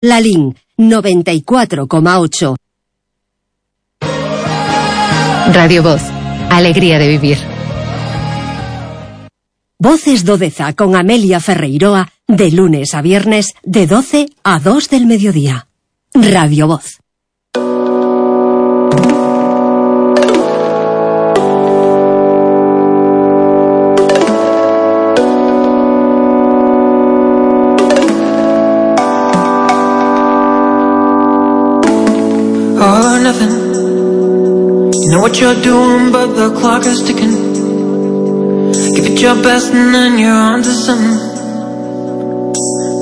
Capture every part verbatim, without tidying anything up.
Lalín, noventa y cuatro coma ocho. Radio Voz, alegría de vivir. Voces do Deza con Amelia Ferreiroa, de lunes a viernes, de doce a dos del mediodía. Radio Voz. All or nothing. You know what you're doing, but the clock is ticking. Give it your best and then you're on to something.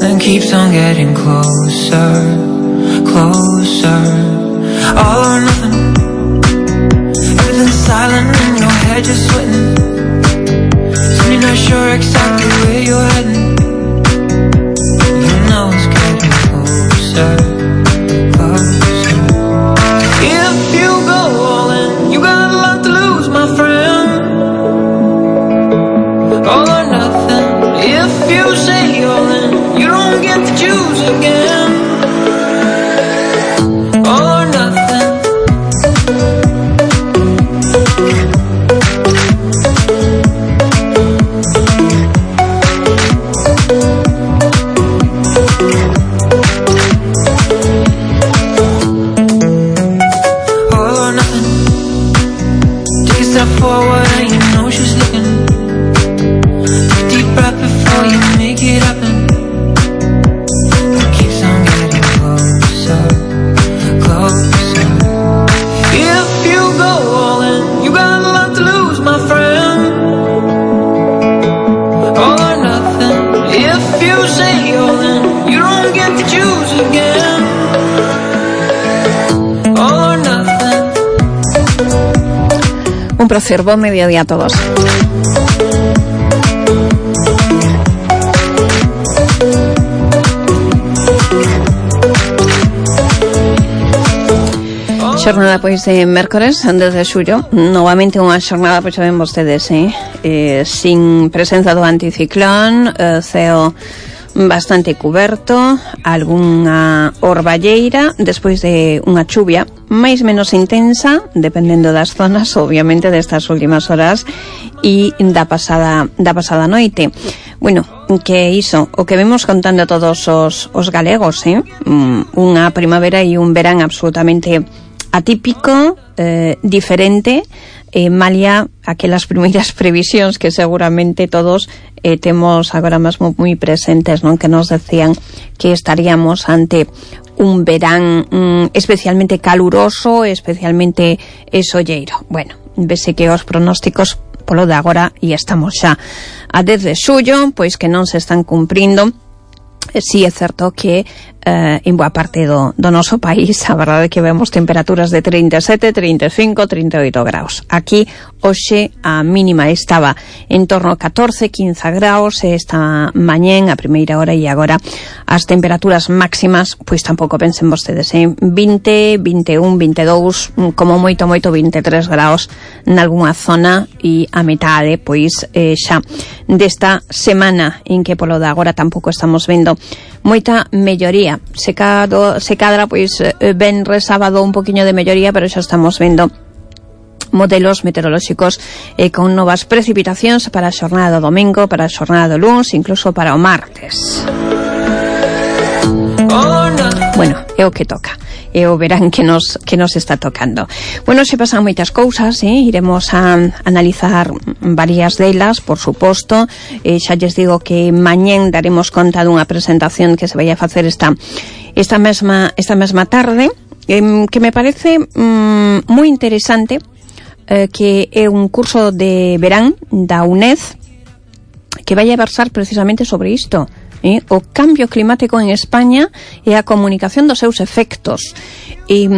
Then keeps on getting closer, closer. All or nothing. Everything's silent in your head, you're sweating. Soon you're not sure exactly where you're heading. You know it's getting closer, closer. If you go all in, you got a lot to lose, my friend. All or nothing. If you say all in, you don't get to choose again. All or nothing. Forward and you know she's looking. Take a deep breath before you make it happen. It keeps on getting closer, closer. If you go all in, you got a lot to lose, my friend. All or nothing. If you say all in, you don't get to choose again. All or nothing. Un placer, buen mediodía a todos. Xornada pois de mércores desde xullo, novamente unha xornada, pois saben vostedes, eh? Eh, sin presenza do anticiclón, eh, ceo bastante cuberto, algunha orballeira despois de unha chuvia máis menos intensa, dependendo das zonas, obviamente destas últimas horas e da pasada da pasada noite. Bueno, que iso, o que vemos contando a todos os, os galegos, eh? Unha primavera e un verán absolutamente atípico, eh, diferente, eh, malia aquelas primeiras previsións que seguramente todos eh, temos agora mesmo moi presentes, non? Que nos decían que estaríamos ante un verán mm, especialmente caluroso, especialmente solleiro. Bueno, vese que os pronósticos polo de agora e estamos xa a dez de xullo, pois que non se están cumprindo. Si é certo que eh, en boa parte do, do noso país a verdade é que vemos temperaturas de trinta e sete, trinta e cinco, trinta e oito graus. Aquí hoxe a mínima estaba en torno a catorce, quince graus esta mañén a primeira hora, e agora as temperaturas máximas pois tampouco pensen vostedes en vinte, vinte e un, vinte e dous, como moito moito vinte e tres graus nalgúna zona, e a metade pois eh, xa desta semana en que polo de agora tampouco estamos vendo moita melloría. Se, cado, se cadra pois ben re sábado un poquinho de melloría, pero xa estamos vendo modelos meteorolóxicos eh, con novas precipitacións para a xornada do domingo, para a xornada do luns, incluso para o martes. Bueno, é o que toca. E o verán que nos que nos está tocando. Bueno, se pasan moitas cousas, eh? Iremos a analizar varias delas, por suposto. Eh, xa lles digo que mañén daremos conta dunha presentación que se vai a facer esta esta mesma esta mesma tarde, eh, que me parece mm, moi interesante, eh, que é un curso de verán da UNED que vai a versar precisamente sobre isto. Eh, o cambio climático en España e a comunicación dos seus efectos. E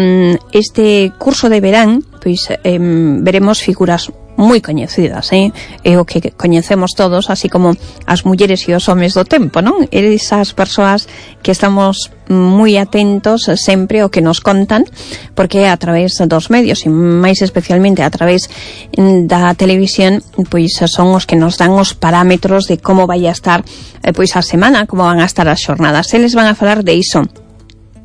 este curso de verán, pois eh, veremos figuras moi coñecidas, eh? É o que coñecemos todos, así como as mulleres e os homes do tempo, non? Esas persoas que estamos moi atentos sempre ao que nos contan, porque a través dos medios, e máis especialmente a través da televisión, pois son os que nos dan os parámetros de como vai a estar eh, pois a semana, como van a estar as xornadas. Eles van a falar de iso,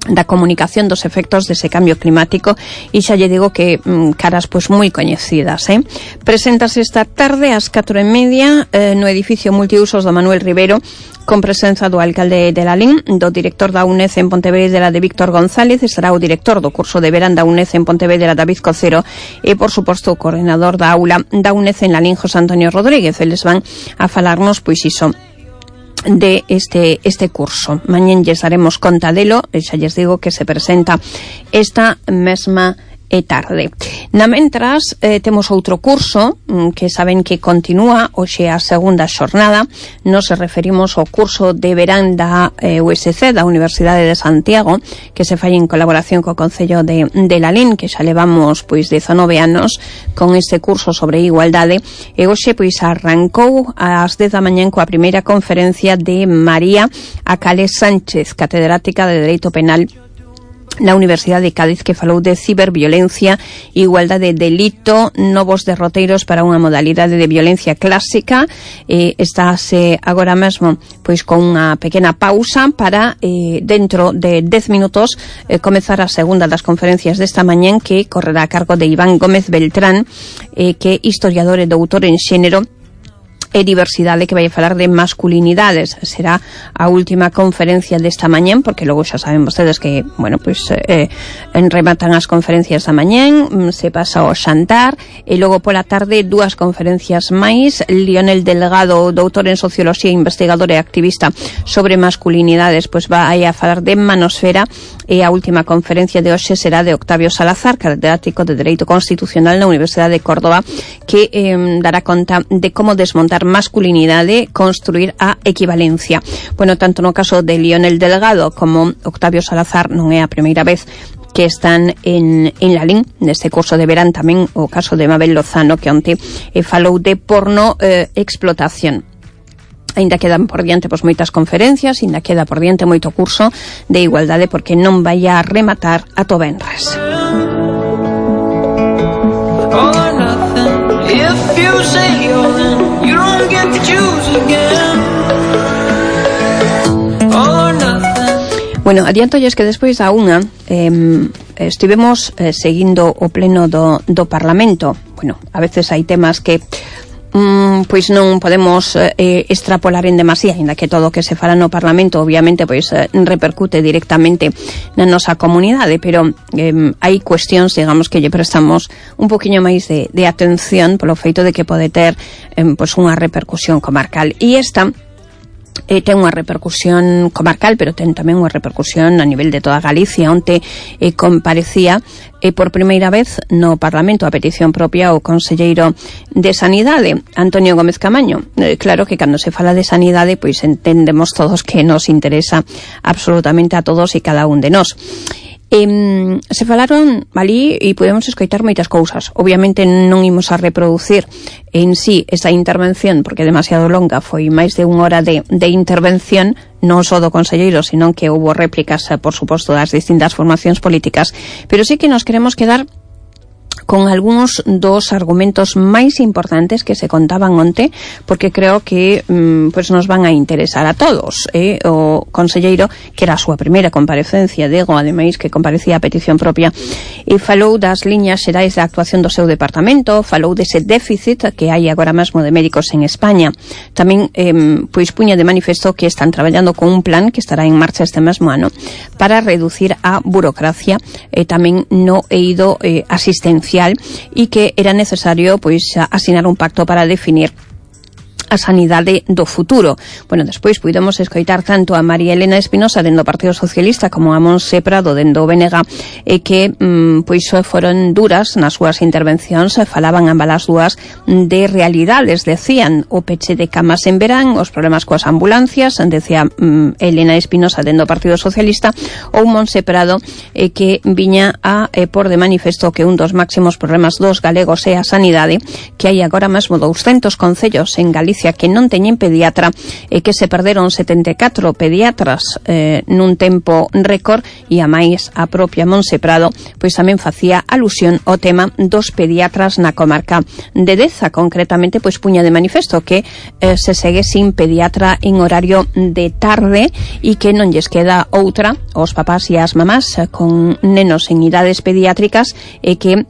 da comunicación dos efectos dese cambio climático e xa lle digo que mm, caras pois moi coñecidas, eh? Preséntase esta tarde ás catro e media eh, no edificio multiusos do Manuel Rivero con presenza do alcalde de Lalín, do director da U N E D en Pontevedra de Víctor González, estará o director do curso de verán da U N E D en Pontevedra David Cocero e por suposto o coordinador da aula da U N E D en Lalín José Antonio Rodríguez. Eles van a falarnos pois iso de este este curso. Mañén lles daremos conta delo, e xa lles digo que se presenta esta mesma e tarde. Na mentras, eh, temos outro curso que saben que continúa hoxe a segunda xornada. Nos referimos ao curso de verán da eh, U S C, da Universidade de Santiago, que se fai en colaboración co Concello de, de Lalín, que xa levamos pois dezanove anos con este curso sobre igualdade, e hoxe pois arrancou ás dez da mañá coa primeira conferencia de María Acales Sánchez, catedrática de Dereito Penal na Universidade de Cádiz, que falou de ciberviolencia, igualdade de delito, novos derroteiros para unha modalidade de violencia clásica. Eh, estáse agora mesmo pois con unha pequena pausa para eh, dentro de dez minutos eh, comezar a segunda das conferencias desta mañán, que correrá a cargo de Iván Gómez Beltrán, eh, que é historiador e doutor en xénero e diversidade, que vai a falar de masculinidades. Será a última conferencia desta mañán, porque logo xa saben vostedes que, bueno, pois eh, rematan as conferencias da mañán, se pasa ao xantar, e logo pola tarde dúas conferencias máis. Lionel Delgado, doutor en Socioloxía, investigador e activista sobre masculinidades, pois vai a falar de manosfera, e a última conferencia de hoxe será de Octavio Salazar, catedrático de Dereito Constitucional na Universidade de Córdoba, que eh, dará conta de como desmontar masculinidade, construir a equivalencia. Bueno, tanto no caso de Lionel Delgado como Octavio Salazar non é a primeira vez que están en, en Lalín, neste curso de verán. Tamén o caso de Mabel Lozano, que onte eh, falou de porno eh, explotación. Ainda quedan por diante pois moitas conferencias, ainda queda por diante moito curso de igualdade, porque non vai a rematar a to venres. Bueno, adiantolles que despois da unha eh, estivemos eh, seguindo o pleno do, do Parlamento. Bueno, a veces hai temas que mm, pois non podemos eh, extrapolar en demasía, ainda que todo o que se fala no Parlamento obviamente pois eh, repercute directamente na nosa comunidade, pero eh, hai cuestións, digamos, que lle prestamos un poquinho máis de, de atención polo feito de que pode ter eh, pois unha repercusión comarcal. E esta Eh, ten unha repercusión comarcal, pero ten tamén unha repercusión a nivel de toda Galicia. Onte eh, comparecía eh, por primeira vez no Parlamento a petición propia o conselleiro de Sanidade, Antonio Gómez Camaño. Eh, claro que cando se fala de sanidade, pois entendemos todos que nos interesa absolutamente a todos e cada un de nós. Eh, se falaron ali e podemos escoitar moitas cousas. Obviamente non imos a reproducir en sí esa intervención, porque é demasiado longa, foi máis de unha hora de, de intervención, non só do conselleiro, senón que houbo réplicas, por suposto, das distintas formacións políticas, pero sí que nos queremos quedar con algúns dos argumentos máis importantes que se contaban onte, porque creo que mm, pues nos van a interesar a todos. Eh? O conselleiro, que era a súa primeira comparecencia, Diego, ademais que comparecía a petición propia, e falou das liñas xerais de actuación do seu departamento, falou dese déficit que hai agora mesmo de médicos en España. Tamén eh, pois puña de manifesto que están traballando con un plan que estará en marcha este mesmo ano para reducir a burocracia e tamén no eido eh, asistencial, e que era necesario pois asinar un pacto para definir a sanidade do futuro. Bueno, despois puidemos escoitar tanto a María Elena Espinosa dendo o Partido Socialista como a Monse Prado dendo o B N G, e que mm, pois foron duras nas súas intervencións, falaban ambas as dúas de realidades, decían o peche de camas en verán, os problemas coas ambulancias, decía mm, Elena Espinosa dendo o Partido Socialista, ou Monse Prado, eh, que viña a eh, por de manifesto que un dos máximos problemas dos galegos é a sanidade, que hai agora mesmo douscentos concellos en Galicia Galicia que non teñen pediatra e que se perderon setenta e catro pediatras eh, nun tempo récord, e a máis a propia Monse Prado pois tamén facía alusión ao tema dos pediatras na comarca de Deza. Concretamente pois puña de manifesto que eh, se segue sin pediatra en horario de tarde e que non lles queda outra aos papás e as mamás eh, con nenos en idades pediátricas e que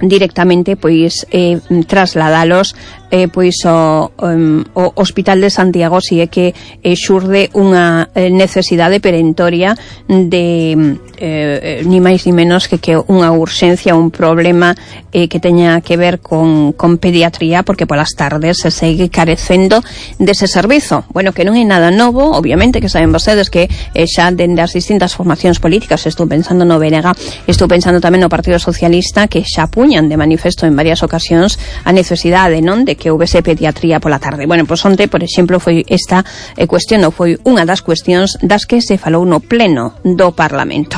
directamente pois eh, trasladalos eh, pois o, um, o Hospital de Santiago, si é que eh, xurde unha eh, necesidade perentoria de eh, ni máis ni menos que que unha urxencia, un problema eh, que teña que ver con, con pediatría, porque polas tardes se segue carecendo dese servizo. Bueno, que non é nada novo, obviamente, que saben vostedes que eh, xa dende as distintas formacións políticas, estou pensando no B N G, estou pensando tamén no Partido Socialista, que xa puñan de manifesto en varias ocasións a necesidade, non, de que houvese pediatría pola tarde. Bueno, pois onte, por exemplo, foi esta eh, cuestión, ou foi unha das cuestións das que se falou no pleno do Parlamento.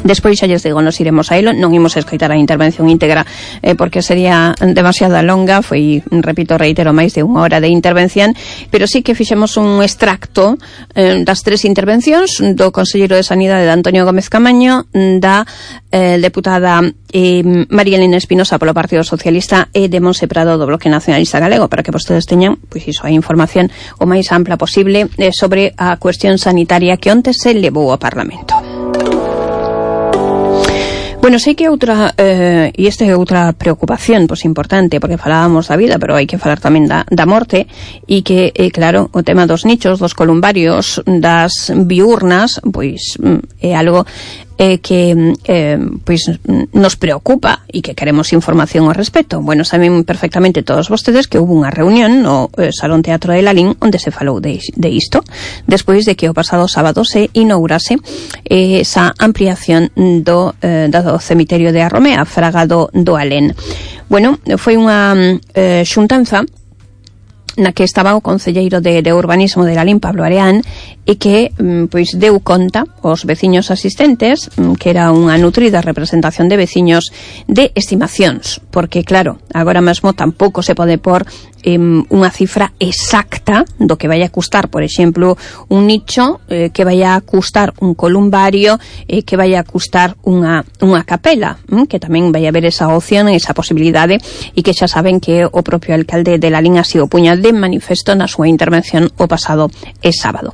Despois xa lles digo, nos iremos a elo, non imos escoitar a intervención íntegra eh, porque sería demasiado longa, foi, repito, reitero, máis de unha hora de intervención, pero sí que fixemos un extracto eh, das tres intervencións do Conselleiro de Sanidade de Antonio Gómez Camaño, da eh, deputada eh, María Elena Espinosa polo Partido Socialista e de Monse Prado do Bloque Nacionalista Galego, para que vostedes teñan pois iso, a información o máis ampla posible eh, sobre a cuestión sanitaria que onte se levou ao Parlamento. Bueno, sei que outra, eh, e esta é outra preocupación, pois importante, porque falábamos da vida, pero hai que falar tamén da, da morte, e que, eh, claro, o tema dos nichos, dos columbarios, das biurnas, pois é algo eh, que eh, pois nos preocupa e que queremos información ao respecto. Bueno, saben perfectamente todos vostedes que hubo unha reunión no eh, Salón Teatro de Lalín onde se falou de, de isto, despois de que o pasado sábado se inaugurase eh, esa ampliación do, eh, do cemiterio de Arromea, Fraga do, do Alén. Bueno, foi unha eh, xuntanza na que estaba o concelleiro de, de urbanismo de Lalín, Pablo Areán, e que pois deu conta aos veciños asistentes, que era unha nutrida representación de veciños, de estimacións, porque claro, agora mesmo tampouco se pode por eh, unha cifra exacta do que vai a custar, por exemplo, un nicho, eh, que vai a custar un columbario, eh, que vai a custar unha, unha capela, hm, que tamén vai haber esa opción, esa posibilidade, e que xa saben que o propio alcalde de Lalín así o puña de manifesto na súa intervención o pasado é sábado.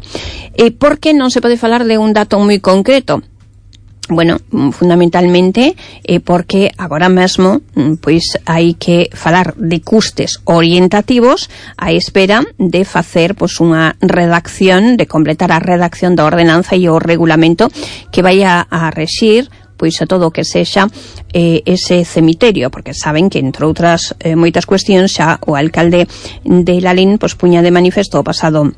E por que non se pode falar de un dato moi concreto? Bueno, fundamentalmente eh, porque agora mesmo pois hai que falar de custes orientativos á espera de facer pois unha redacción, de completar a redacción da ordenanza e o regulamento que vai a, a rexir pois a todo o que sexa eh, ese cemiterio, porque saben que, entre outras eh, moitas cuestións, xa o alcalde de Lalín pois puña de manifesto o pasado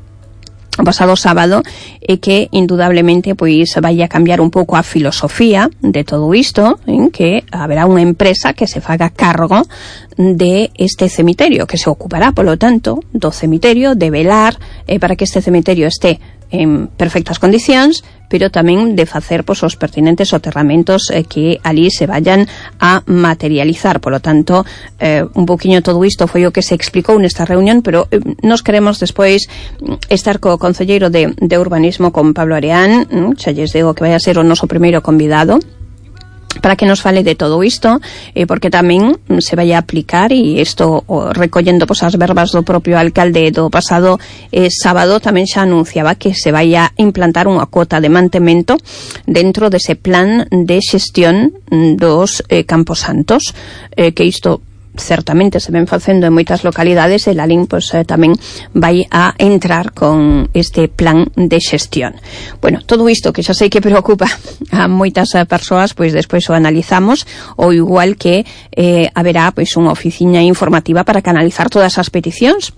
o pasado sábado e que indudablemente pois vai a cambiar un pouco a filosofía de todo isto, en que haberá unha empresa que se faga cargo de este cemiterio, que se ocupará, polo tanto, do cemiterio, de velar eh, para que este cemiterio este en perfectas condicións, pero tamén de facer pois, os pertinentes soterramentos eh, que ali se vayan a materializar. Por lo tanto, eh, un poquinho todo isto foi o que se explicou nesta reunión, pero eh, nos queremos despois estar co concelleiro de, de urbanismo, con Pablo Areán, mm, xa lles digo que vai a ser o noso primeiro convidado, para que nos fale de todo isto, eh, porque tamén se vai a aplicar, e isto o, recollendo pois, as verbas do propio alcalde do pasado eh, sábado, tamén xa anunciaba que se vai a implantar unha cuota de mantemento dentro dese plan de xestión dos eh, camposantos, eh, que isto certamente se ven facendo en moitas localidades, e Lalín pois, eh, tamén vai a entrar con este plan de xestión. Bueno, todo isto que xa sei que preocupa a moitas eh, persoas, pois despois o analizamos, ou igual que eh, haberá pois unha oficina informativa para canalizar todas as peticións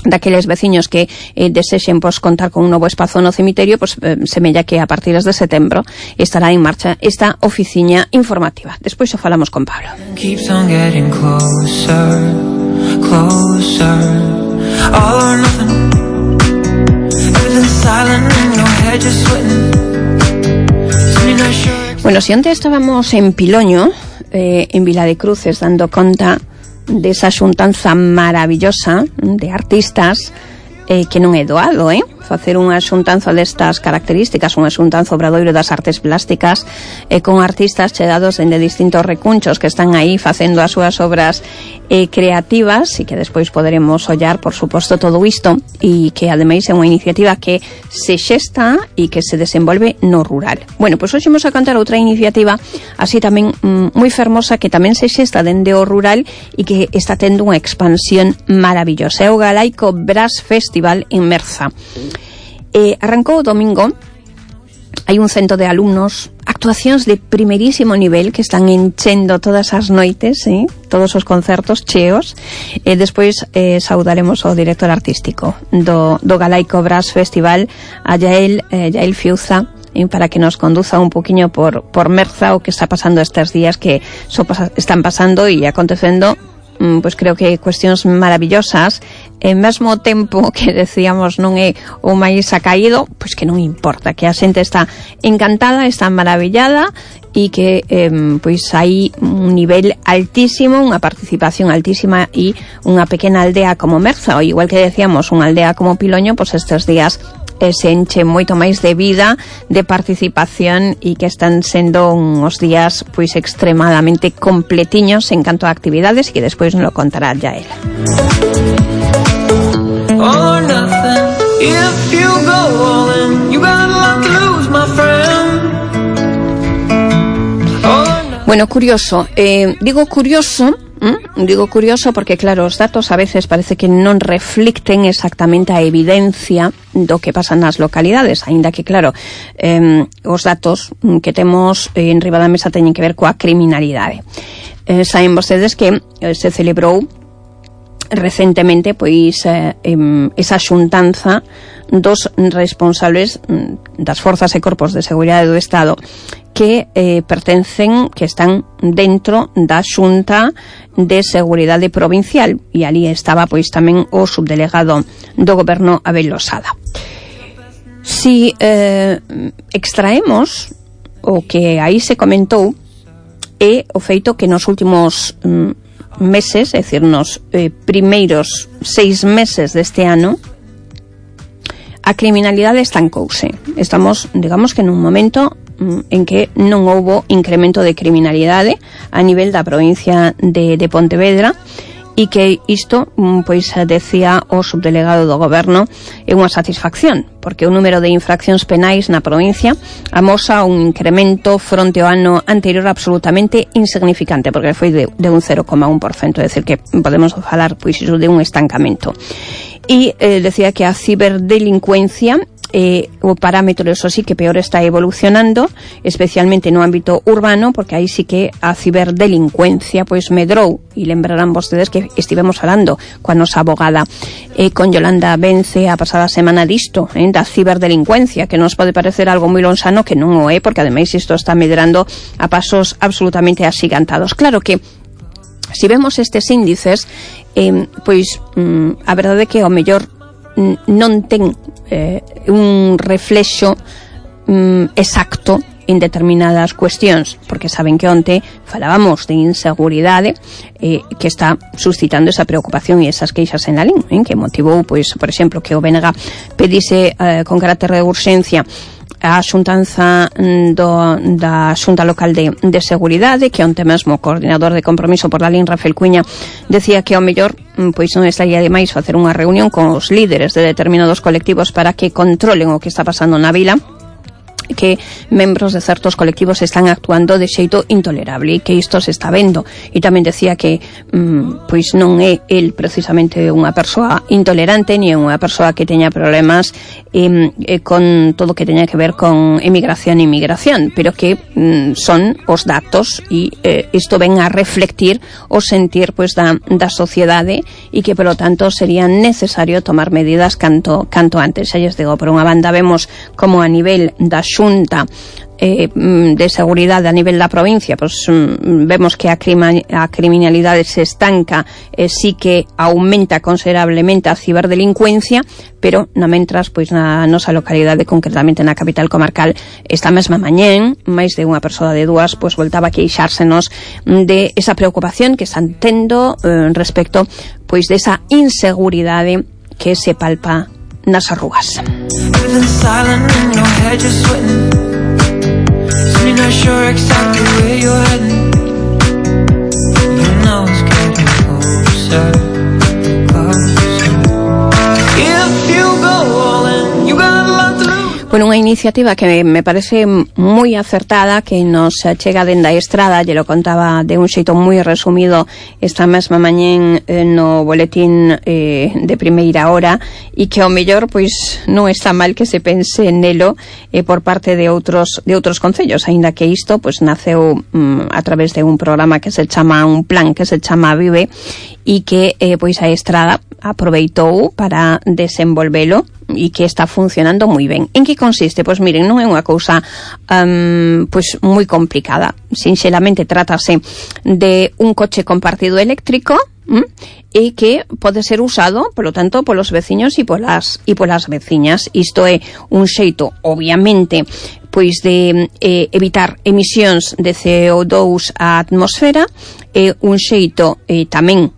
daqueles veciños que eh, desexen pois, contar con un novo espazo no cemiterio, pois, eh, semella que a partir de setembro estará en marcha esta oficina informativa. Despois o falamos con Pablo. Keeps on getting closer, closer, all or nothing. Everything's silent in your head, just sweating. Not sure. Bueno, si antes estábamos en Piloño, eh, en Vila de Cruces, dando conta desa xuntanza maravillosa de artistas eh, que non é doado, eh? Facer unha xuntanza destas características, unha xuntanza obradoiro das artes plásticas eh, con artistas chegados dende distintos recunchos que están aí facendo as súas obras eh, creativas e que despois poderemos ollar, por suposto, todo isto e que ademais é unha iniciativa que se xesta e que se desenvolve no rural. Bueno, pois hoxe vamos a contar outra iniciativa así tamén mm, moi fermosa que tamén se xesta dende o rural e que está tendo unha expansión maravillosa. É o Galaico Brass Festival en Merza. Eh, arrancou o domingo, hai un cento de alumnos, actuacións de primerísimo nivel que están enchendo todas as noites, eh? Todos os concertos cheos, e eh, despois eh, saudaremos ao director artístico do, do Galaico Brass Festival, a Yael, eh, Yael Fiuza, eh, para que nos conduza un poquinho por, por Merza o que está pasando estes días que so, están pasando e acontecendo. Pois creo que cuestións maravillosas, e mesmo tempo que decíamos non é o máis acaído, pois que non importa, que a xente está encantada, está maravillada e que eh, pois hai un nivel altísimo, unha participación altísima e unha pequena aldea como Merza, ou igual que decíamos unha aldea como Piloño, pois estes días eh, se enche moito máis de vida, de participación e que están sendo uns días pois extremadamente completiños en canto a actividades e que despois nos lo contará ya él. All or nothing. If you go all in, you got a lot to lose, my friend. All or nothing. Bueno, curioso, eh, digo curioso ¿Mm? Digo curioso porque, claro, os datos a veces parece que non reflicten exactamente a evidencia do que pasa nas localidades, aínda que, claro, eh, os datos que temos en riba da mesa teñen que ver coa criminalidade. Eh, saben vostedes que eh, se celebrou recentemente pois eh, eh, esa xuntanza dos responsables das forzas e corpos de seguridade do Estado que eh, pertencen, que están dentro da Xunta de Seguridade Provincial, e ali estaba pois tamén o subdelegado do goberno Abel Losada. Si eh, extraemos o que aí se comentou é o feito que nos últimos mm, meses, é dicir, nos eh, primeiros seis meses deste ano, a criminalidade estancouse. Estamos, digamos que nun momento en que non houbo incremento de criminalidade a nivel da provincia de, de Pontevedra, e que isto, pois, decía o subdelegado do goberno, é unha satisfacción, porque o número de infraccións penais na provincia amosa un incremento fronte ao ano anterior absolutamente insignificante, porque foi de, de un cero coma un por cento, é dicir, que podemos falar pois iso de un estancamento. E eh, decía que a ciberdelincuencia Eh, o parámetro, eso sí, que peor está evolucionando, especialmente no ámbito urbano, porque aí sí que a ciberdelincuencia pois medrou, e lembrarán vostedes que estivemos falando coa nosa abogada eh, con Yolanda Vence a pasada semana disto, eh, da ciberdelincuencia, que nos pode parecer algo moi lonxano, que non o é, porque ademais isto está medrando a pasos absolutamente axigantados. Claro que si vemos estes índices, eh, pois mm, a verdade é que ao mellor non ten eh, un reflexo mm, exacto en determinadas cuestións, porque saben que onte falábamos de inseguridade eh, que está suscitando esa preocupación e esas queixas en la LIN, eh, que motivou, pois, por exemplo, que o B N G pedise eh, con carácter de urxencia a xuntanza do, da Xunta Local de, de Seguridade, que onte mesmo o coordinador de compromiso por la LIN, Rafael Cuña, decía que ao mellor pois non estaría de máis facer unha reunión con os líderes de determinados colectivos para que controlen o que está pasando na vila, que membros de certos colectivos están actuando de xeito intolerable e que isto se está vendo. E tamén decía que mm, pois non é el precisamente unha persoa intolerante ni unha persoa que teña problemas eh, eh, con todo o que teña que ver con emigración e inmigración, pero que mm, son os datos e eh, isto ven a reflectir o sentir pois da, da sociedade e que, polo tanto, sería necesario tomar medidas canto, canto antes. Xa lles digo, por unha banda vemos como a nivel da Xunta eh, de seguridade a nivel da provincia, pois vemos que a, crima, a criminalidade se estanca, eh, sí que aumenta considerablemente a ciberdelincuencia, pero na mentras, pois na nosa localidade, concretamente na capital comarcal, esta mesma mañén, máis de unha persoa de dúas, pois voltaba a queixársenos de esa preocupación que están tendo eh, respecto, pois desa inseguridade que se palpa nas arrugas. Bueno, unha iniciativa que me parece moi acertada, que nos chega dende a estrada, lle lo contaba de un xeito moi resumido esta mesma mañén eh, no boletín eh, de primeira hora, e que ao mellor pois non está mal que se pense nelo eh, por parte de outros de outros concellos, aínda que isto pois naceu mm, a través de un programa que se chama, un plan que se chama Vive, e que eh, pois a estrada aproveitou para desenvolvelo e que está funcionando moi ben. En que consiste? Pois miren, non é unha cousa um, pois moi complicada. Sinxelamente trátase de un coche compartido eléctrico ¿m? E que pode ser usado, polo tanto, polos veciños e polas e polas veciñas. Isto é un xeito, obviamente, pois de eh, evitar emisións de C O dous á atmosfera, é eh, un xeito eh, tamén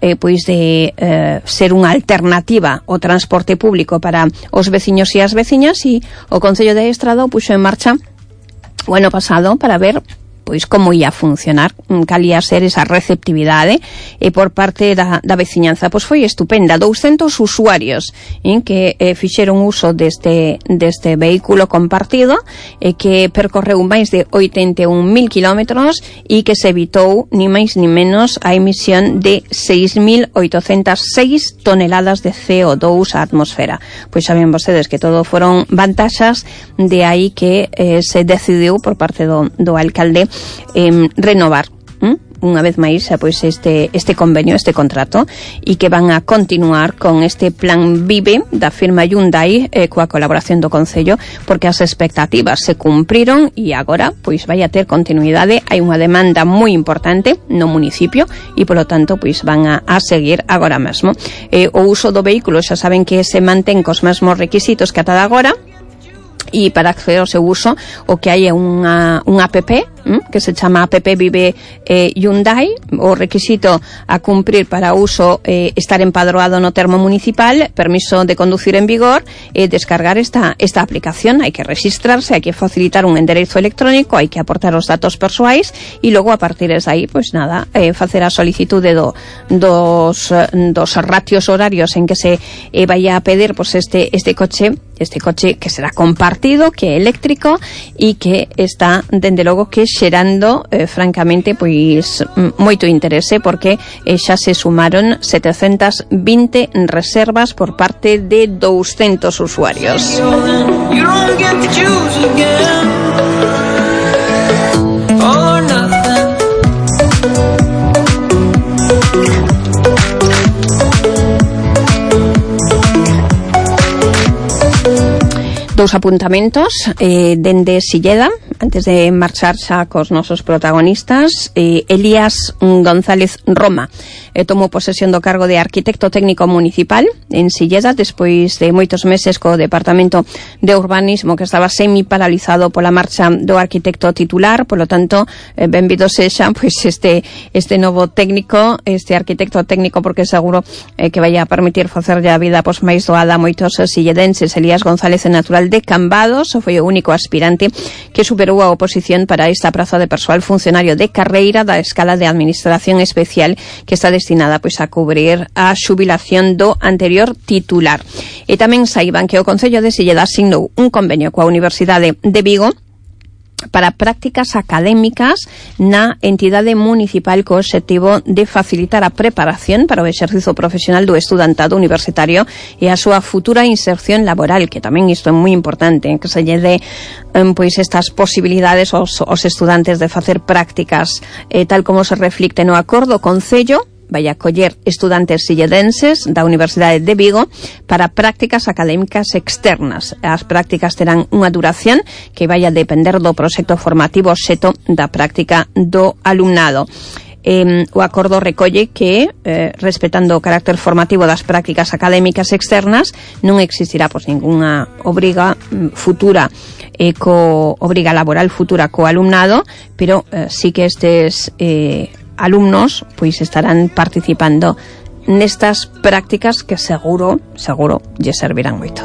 eh, pois de eh, ser unha alternativa ao transporte público para os veciños e as veciñas, e o Concello de Estrada o puxo en marcha o ano pasado para ver pois como ia funcionar, cal ia ser esa receptividade e por parte da, da veciñanza. Pois foi estupenda, douscentos usuarios en que eh, fixeron uso deste, deste vehículo compartido e que percorreu máis de oitenta e un mil kilómetros e que se evitou ni máis ni menos a emisión de seis mil oitocentas seis toneladas de C O dous á atmosfera. Pois saben vostedes que todo foron vantaxas, de aí que eh, se decidiu por parte do, do alcalde Eh, renovar ¿m? unha vez máis pois este este convenio, este contrato, e que van a continuar con este plan Vive da firma Hyundai eh, coa colaboración do Concello, porque as expectativas se cumpriron e agora pois vai a ter continuidade. Hai unha demanda moi importante no municipio e polo tanto pois van a, a seguir agora mesmo. Eh, o uso do vehículo xa saben que se mantén cos mesmos requisitos que ata de agora, e para acceder ao seu uso o que hai é unha, unha app que se chama App Vive eh, Hyundai. O requisito a cumprir para uso eh, estar empadroado no termo municipal, permiso de conducir en vigor e eh, descargar esta, esta aplicación. Hai que registrarse, hai que facilitar un enderezo electrónico, hai que aportar os datos persoais e logo a partir de aí, pois nada, eh, facer a solicitude do, dos, dos ratios horarios en que se eh, vai a pedir pois este, este coche este coche que será compartido, que é eléctrico e que está, dende logo, que xerando, eh, francamente, pois moito interese, porque eh, xa se sumaron setecentas vinte reservas por parte de douscentos usuarios. Dous apuntamentos eh, dende Silleda, antes de marchar xa cos nosos protagonistas. eh, Elías González Roma eh, tomou posesión do cargo de arquitecto técnico municipal en Silleda, despois de moitos meses co Departamento de Urbanismo, que estaba semi-paralizado pola marcha do arquitecto titular. Polo tanto, eh, benvido sexa pois este este novo técnico, este arquitecto técnico, porque seguro eh, que vai a permitir facerlle a vida pois máis doada a moitos silledenses. Elías González é natural de Cambados, foi o único aspirante que superou a oposición para esta praza de persoal funcionario de carreira da escala de administración especial, que está destinada pois a cubrir a xubilación do anterior titular. E tamén saiban que o Concello de Silleda asignou un convenio coa Universidade de Vigo para prácticas académicas na entidade municipal co obxectivo de facilitar a preparación para o exercizo profesional do estudantado universitario e a súa futura inserción laboral, que tamén isto é moi importante, que se lle dé um, pois estas posibilidades aos, aos estudantes de facer prácticas eh, tal como se reflicte no acordo Concello vai acoller estudantes silledenses da Universidade de Vigo para prácticas académicas externas. As prácticas terán unha duración que vai a depender do proxecto formativo xeto da práctica do alumnado. Eh, o acordo recolle que, eh, respetando o carácter formativo das prácticas académicas externas, non existirá pois ningunha obriga mm, futura eh, co obriga laboral futura co alumnado, pero eh, sí que estes eh, alumnos pois estarán participando nestas prácticas que seguro, seguro lle servirán moito.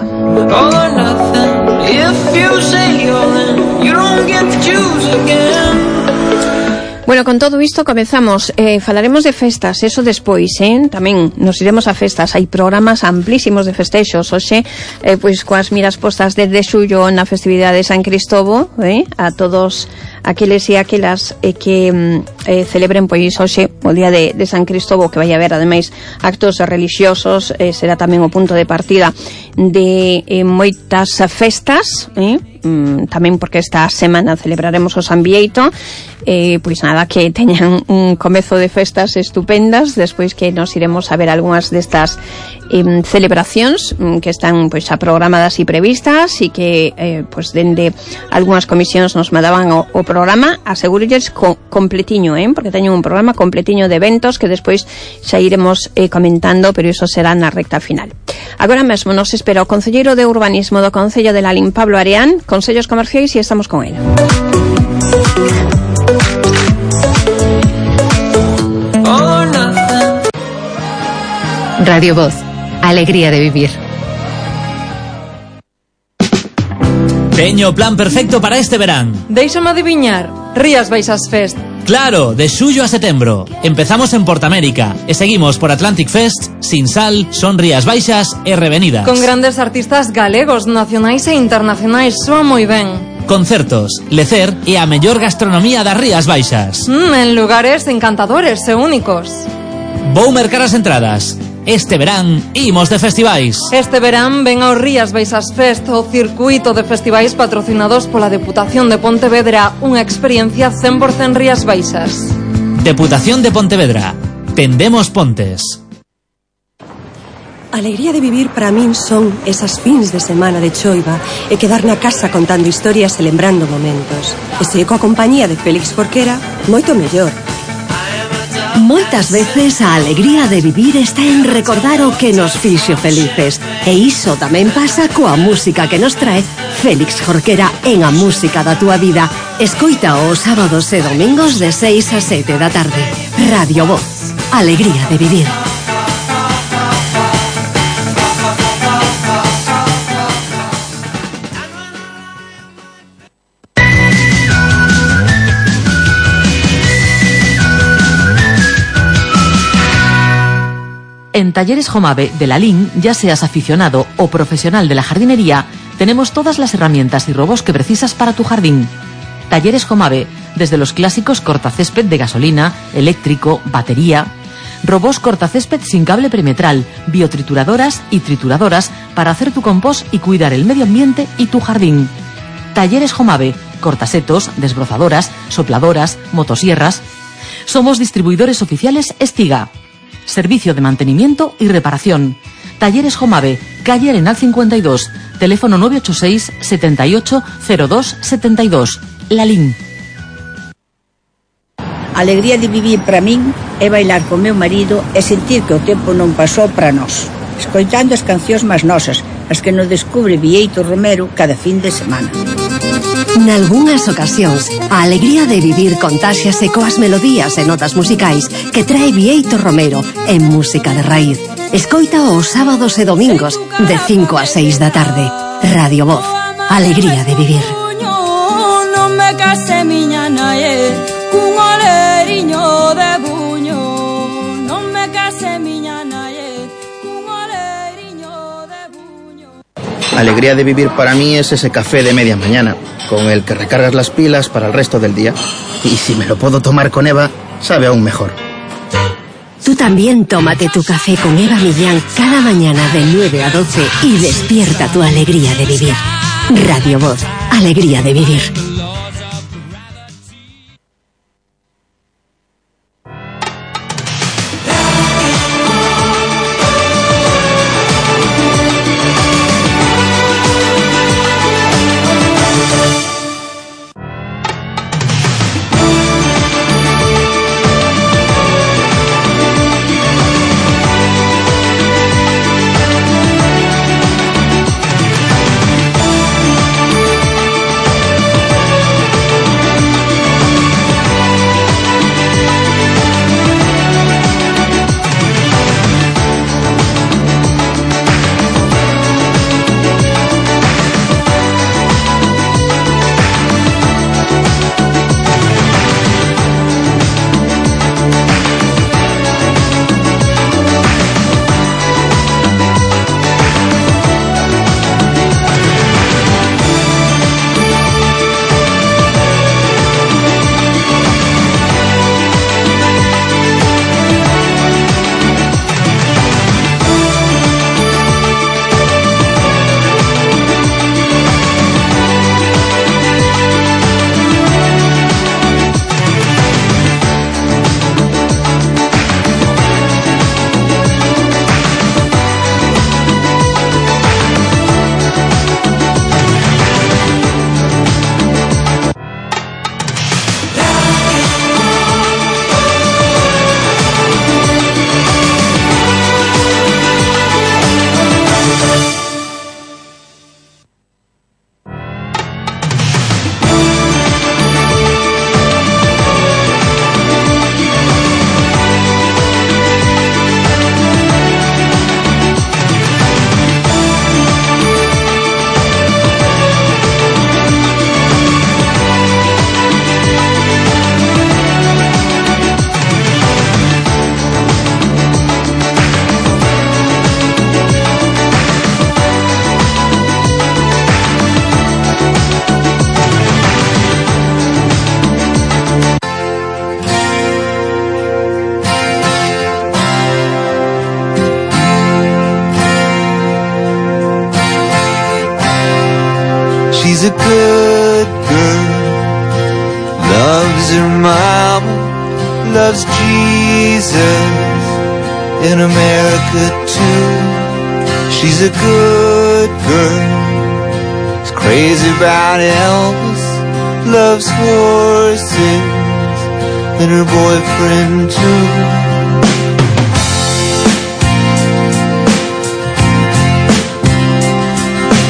Bueno, con todo isto comezamos, eh, falaremos de festas, eso despois, eh? Tamén nos iremos a festas, hai programas amplísimos de festexos, hoxe, eh, pois coas miras postas desde xullo na festividade de San Cristobo, eh? A todos aqueles e aquelas eh, que eh, celebren pois hoxe o día de, de San Cristobo, que vai haber ademais actos religiosos, eh, será tamén o punto de partida de eh, moitas festas, eh? Mm, tamén porque esta semana celebraremos o San Bieito, eh, pois nada, que teñan un comezo de festas estupendas, despois que nos iremos a ver algunhas destas eh, celebracións mm, que están pois a programadas e previstas e que eh, pois dende algunhas comisións nos mandaban o, o programa, asegúrolles co, completiño, eh, porque teñen un programa completiño de eventos que despois xa iremos eh, comentando, pero iso será na recta final. Agora mesmo nos espera o concelleiro de Urbanismo do Concello de Lalín, Pablo Areán, consellos comerciais, e estamos con él. Radio Voz, alegría de vivir. Teño o plan perfecto para este verán. Déixame adiviñar, Rías Baixas Fest. Claro, de xullo a setembro. Empezamos en Portamérica e seguimos por Atlantic Fest, Sinsal, Son Rías Baixas e Revenidas. Con grandes artistas galegos, nacionais e internacionais, soa moi ben. Concertos, lecer e a mellor gastronomía das Rías Baixas. Mm, en lugares encantadores e únicos. Vou mercar as entradas. Este verán imos de festivais. Este verán ven ao Rías Baixas Fest, o circuito de festivais patrocinados pola Deputación de Pontevedra, unha experiencia cen por cen Rías Baixas. Deputación de Pontevedra. Tendemos pontes. Alegría de vivir para min son esas fins de semana de choiva e quedar na casa contando historias e lembrando momentos. E se coa compañía de Félix Jorquera, moito mellor. Moitas veces a alegría de vivir está en recordar o que nos fixo felices. E iso tamén pasa coa música que nos trae Félix Jorquera en A Música da Túa Vida. Escoita os sábados e domingos de seis a sete da tarde. Radio Voz, alegría de vivir. En Talleres Jomave de Lalín, ya seas aficionado o profesional de la jardinería, tenemos todas las herramientas y robos que precisas para tu jardín. Talleres Jomave, desde los clásicos cortacésped de gasolina, eléctrico, batería, robos cortacésped sin cable perimetral, biotrituradoras y trituradoras para hacer tu compost y cuidar el medio ambiente y tu jardín. Talleres Jomave, cortasetos, desbrozadoras, sopladoras, motosierras. Somos distribuidores oficiales Estiga. Servicio de mantenimiento y reparación. Talleres Jomave, calle Arenal cincuenta y dos, teléfono nueve ocho seis, setenta y ocho, cero dos, setenta y dos. Lalín. Alegría de vivir para min é bailar con meu marido e sentir que o tempo non pasou para nós, escoitando as cancións máis nosas, as que nos descubre Vieito Romero cada fin de semana. Nalgúnas ocasións, a alegría de vivir contáxiase coas melodías e notas musicais que trae Vieito Romero en Música de Raíz. Escoita os sábados e domingos de cinco a seis da tarde. Radio Voz, alegría de vivir. Non me case miña nae, cun oleriño de buño. Non me case miña nae, cun oleriño de buño. Alegría de vivir para mí es ese café de media mañana, con el que recargas las pilas para el resto del día. Y si me lo puedo tomar con Eva, sabe aún mejor. Tú también tómate tu café con Eva Millán cada mañana de nueve a doce y despierta tu alegría de vivir. Radio Voz, alegría de vivir. good girl. Loves her mama, loves Jesus, in America too. She's a good girl. She's crazy about Elvis, loves horses, and her boyfriend too.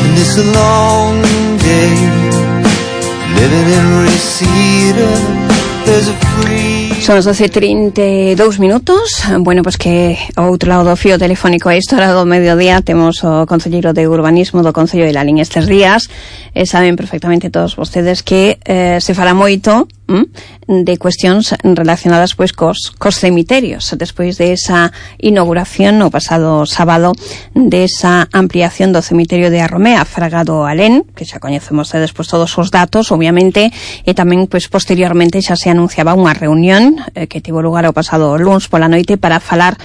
And it's a long day living in Reseda. There's a free. Son as doce e trinta e dous minutos. Bueno, pois que ao outro lado do fío telefónico a esta hora do mediodía temos o concelleiro de Urbanismo do Concello de Lalín estes días. E saben perfectamente todos vostedes que eh, se fala moito hm, de cuestións relacionadas pois cos, cos cemiterios despois de esa inauguración no pasado sábado desa ampliación do cemiterio de Arromea, Fragado Alén, que xa coñecemos despois todos os datos, obviamente, e tamén pois posteriormente xa se anunciaba unha reunión eh, que tivo lugar o pasado luns pola noite para falar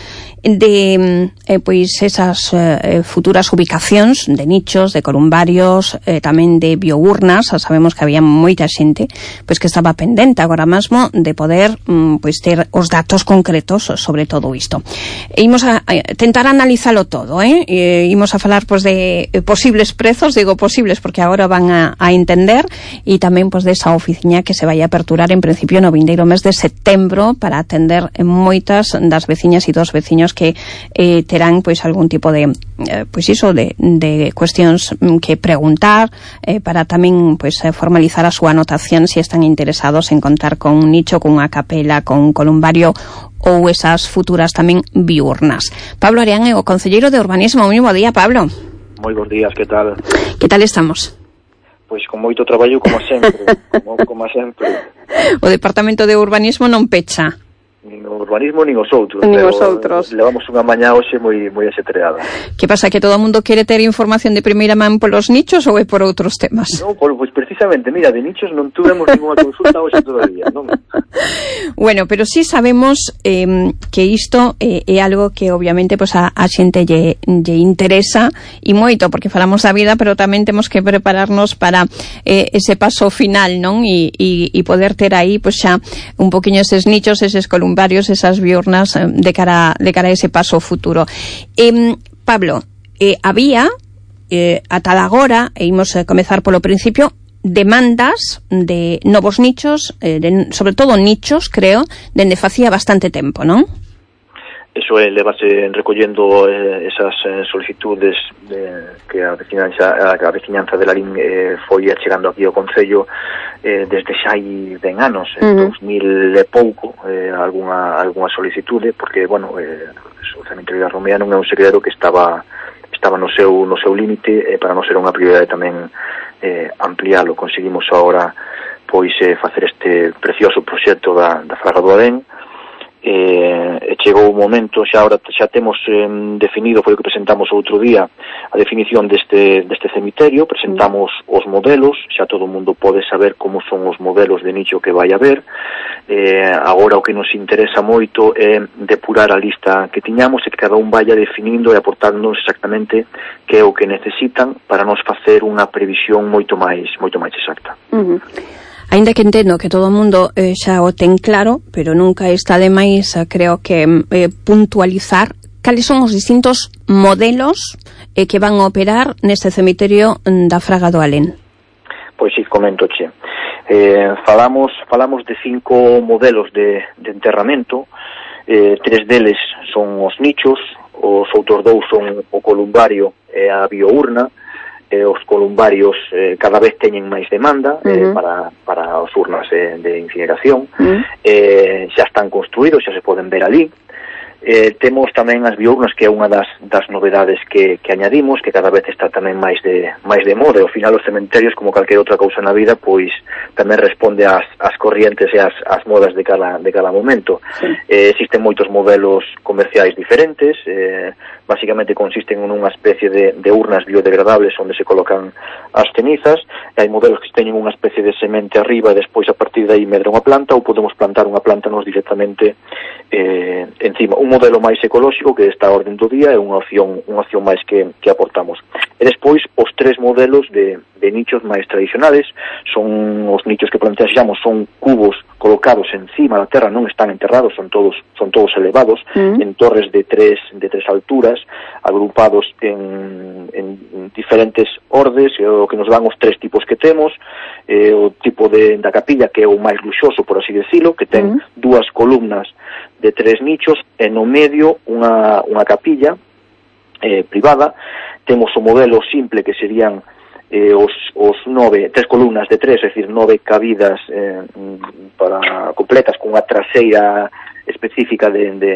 de eh, pois esas eh, futuras ubicacións de nichos, de columbarios, eh, tamén de biournas. Sabemos que había moita xente pois que estaba pendente agora mesmo de poder mm, pois ter os datos concretos sobre todo isto. E imos a, a tentar analizalo todo, eh? E imos a falar pois de posibles prezos, digo posibles porque agora van a, a entender, e tamén pois desa oficina que se vai a aperturar en principio no vindeiro mes de setembro para atender moitas das veciñas e dos veciños que eh, terán pois algún tipo de eh, pois iso de, de cuestións que preguntar eh, para tamén pois formalizar a súa anotación se están interesados en contar con un nicho, con unha capela, con un columbario ou esas futuras tamén biurnas. Pablo Arián é o concelleiro de Urbanismo. Moi bo día, Pablo. Moi bons días, que tal? Que tal estamos? Pois con moito traballo como sempre, como, como sempre. O Departamento de Urbanismo non pecha. Nin o urbanismo nin os outros. Nin os outros. Levamos unha mañá hoxe moi moi axetreada. Que pasa, que todo o mundo quere ter información de primeira man polos nichos ou é por outros temas? Non, por, pois precisamente, mira, de nichos non tuvemos ninguna consulta hoxe todavía, non? Bueno, pero sí sabemos eh, que isto eh, é algo que obviamente pues, a, a xente lle, lle interesa e moito, porque falamos da vida, pero tamén temos que prepararnos para eh, ese paso final, non? E, e, e poder ter aí pues, xa un poquinho eses nichos, eses columnas, varios esas biurnas de cara de cara a ese paso futuro. Eh, Pablo, eh, había eh, a tal agora, e imos a comezar polo principio, demandas de novos nichos, eh, de, sobre todo nichos, creo, dende facía bastante tempo, non? Eso é, levase recollendo eh, esas eh, solicitudes de, que a veciñanza, a, a veciñanza de Lalín eh, foi chegando aquí ao Concello eh, desde xa hai ben anos, en uh-huh. dos mil e pouco, eh, alguna, alguna solicitude, porque, bueno, eh, o cemiterio de Arromea non é un segredo que estaba estaba no seu, no seu límite, eh, para non ser unha prioridade tamén eh, ampliálo. Conseguimos agora pois eh, facer este precioso proxecto da, da Fraga do Alén. Eh, e chegou o momento, xa ahora xa temos eh, definido, foi o que presentamos outro día, a definición deste, deste cemiterio, presentamos os modelos, xa todo o mundo pode saber como son os modelos de nicho que vai haber. Eh, agora o que nos interesa moito é depurar a lista que tiñamos e que cada un vaya definindo e aportándonos exactamente que é o que necesitan para nos facer unha previsión moito máis moito máis exacta. Uh-huh. Ainda que entendo que todo o mundo eh, xa o ten claro, pero nunca está de máis, eh, creo que eh, puntualizar cales son os distintos modelos eh, que van a operar neste cemiterio da Fraga do Alén. Pois si, comento, che. Eh, falamos, falamos de cinco modelos de, de enterramento, eh, tres deles son os nichos, os outros dous son o columbario e a biourna. Eh, os columbarios eh, cada vez teñen máis demanda eh, uh-huh. para, para as urnas de, de incineración. Uh-huh. Eh, xa están construídos, xa se poden ver ali. Eh, temos tamén as biournas, que é unha das, das novedades que, que añadimos, que cada vez está tamén máis de, máis de moda. Ao final, os cementerios, como calquera outra cousa na vida, pois tamén responde ás, ás corrientes e ás, ás modas de cada, de cada momento. Sí. Eh, existen moitos modelos comerciais diferentes, eh, basicamente consisten en unha especie de, de urnas biodegradables onde se colocan as cenizas, e hai modelos que teñen unha especie de semente arriba e despois a partir de aí medra unha planta, ou podemos plantar unha planta nos directamente eh, encima. Un modelo máis ecolóxico que está a orden do día, é unha opción unha opción máis que, que aportamos. E despois os tres modelos de, de nichos máis tradicionales son os nichos que planteamos, son cubos colocados encima da terra, non están enterrados, son todos son todos elevados, mm. en torres de tres de tres alturas, agrupados en, en diferentes ordes, o que nos dan os tres tipos que temos, eh, o tipo de da capilla que é o máis luxoso, por así decirlo, que ten mm. dúas columnas de tres nichos e no medio unha, unha capilla eh, privada. Temos o modelo simple que serían eh, os, os nove, tres columnas de tres, é dicir, nove cabidas eh, para completas cunha traseira específica de, de,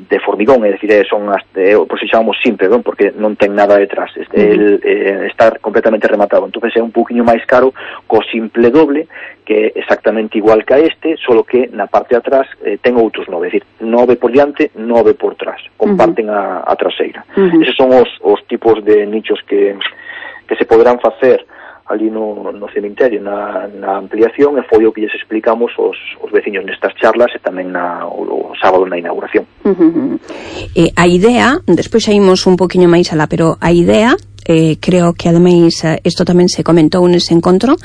de formigón, é dicir, son as, eh, por si chamamos simple, non? Porque non ten nada detrás, este, uh-huh. el, eh, está completamente rematado, entonces é un poquinho máis caro co simple doble, que é exactamente igual que a este, solo que na parte de atrás eh, ten outros nove, é dicir, nove por diante, nove por trás, comparten uh-huh. a, a traseira. Uh-huh. Eses son os, os tipos de nichos que, que se poderán facer ali no, no cemiterio, na, na ampliación, e foi o que lles explicamos os, os veciños nestas charlas e tamén na, o, o sábado na inauguración. Uh-huh. Eh, a idea, despois saímos un poquinho máis alá, pero a idea, eh, creo que ademais isto tamén se comentou nese encontro,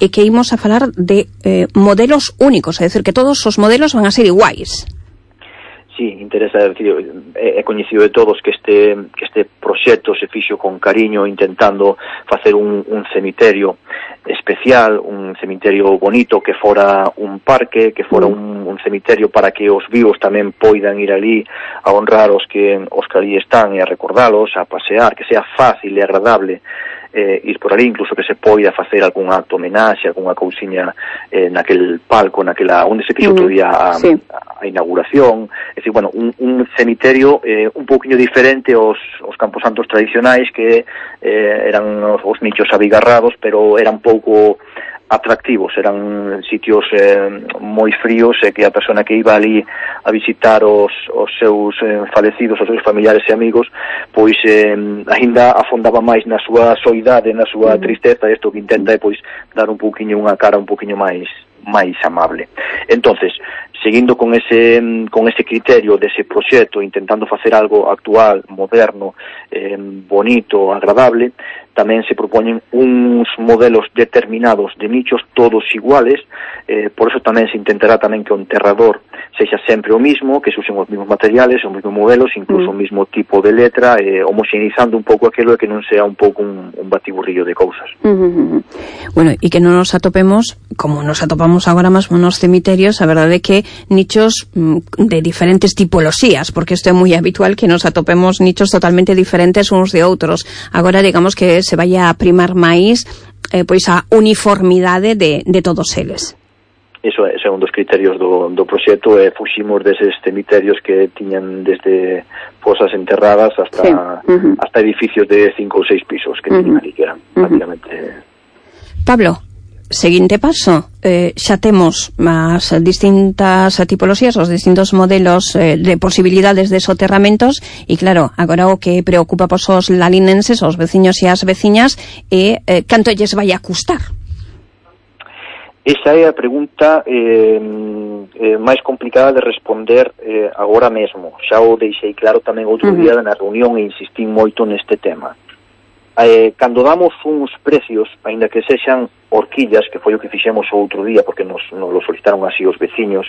é que imos a falar de eh, modelos únicos, é dicir, que todos os modelos van a ser iguais. Sí, interesa, decir, é coñecido de todos que este que este proxecto se fixo con cariño, intentando facer un, un cemiterio especial, un cemiterio bonito, que fora un parque, que fora un, un cemiterio para que os vivos tamén poidan ir ali a honrar os que os que ali están e a recordalos, a pasear, que sea fácil e agradable eh, ir por ali, incluso que se poida facer algún acto homenaxe, algunha cousiña eh, naquel palco, naquela onde se fixo outro día a, sí. a, a inauguración. É dicir, bueno, un, un cemiterio eh, un pouquiño diferente aos, aos camposantos tradicionais, que eh, eran os, os nichos abigarrados, pero eran pouco atractivos, eran sitios eh, moi fríos, e que a persona que iba ali a visitar os, os seus eh, falecidos, os seus familiares e amigos, pois eh, ainda afondaba máis na súa soidade, na súa mm. tristeza. Isto que intenta é pois dar un pouquiño unha cara un pouquiño máis máis amable. Entonces, seguindo con ese con ese criterio dese proxecto, intentando facer algo actual, moderno, eh, bonito, agradable, tamén se propoñen uns modelos determinados de nichos, todos iguales, eh, por eso tamén se intentará tamén que o enterrador sexa sempre o mismo, que se usen os mismos materiales, os mismos modelos, incluso mm. o mismo tipo de letra, eh, homoxeneizando un pouco aquilo, e que non sea un pouco un, un batiburrillo de cousas. Mm-hmm. Bueno, e que non nos atopemos, como nos atopamos agora mesmo nos cemiterios, a verdade é que nichos mm, de diferentes tipoloxías, porque isto é moi habitual que nos atopemos nichos totalmente diferentes uns de outros. Agora, digamos que se vai a primar máis eh, pois a uniformidade de, de todos eles. Iso é, ese é un dos criterios do, do proxecto, e fuximos deses cemiterios que tiñan desde fosas enterradas hasta, sí. uh-huh. hasta edificios de cinco ou seis pisos que uh-huh. tiñan ali, que eran uh-huh. prácticamente... Pablo, seguinte paso, eh, xa temos as distintas tipoloxías, os distintos modelos eh, de posibilidades de soterramentos, e claro, agora o que preocupa pos os lalinenses, os veciños e as veciñas, é eh, canto lles vai a custar. Esa é a pregunta eh, eh, máis complicada de responder eh, agora mesmo. Xa o deixei claro tamén outro uh-huh. día na reunión, e insistín moito neste tema. Eh, cando damos uns precios, aínda que sexan horquillas, que foi o que fixemos o outro día, porque nos, nos lo solicitaron así os veciños,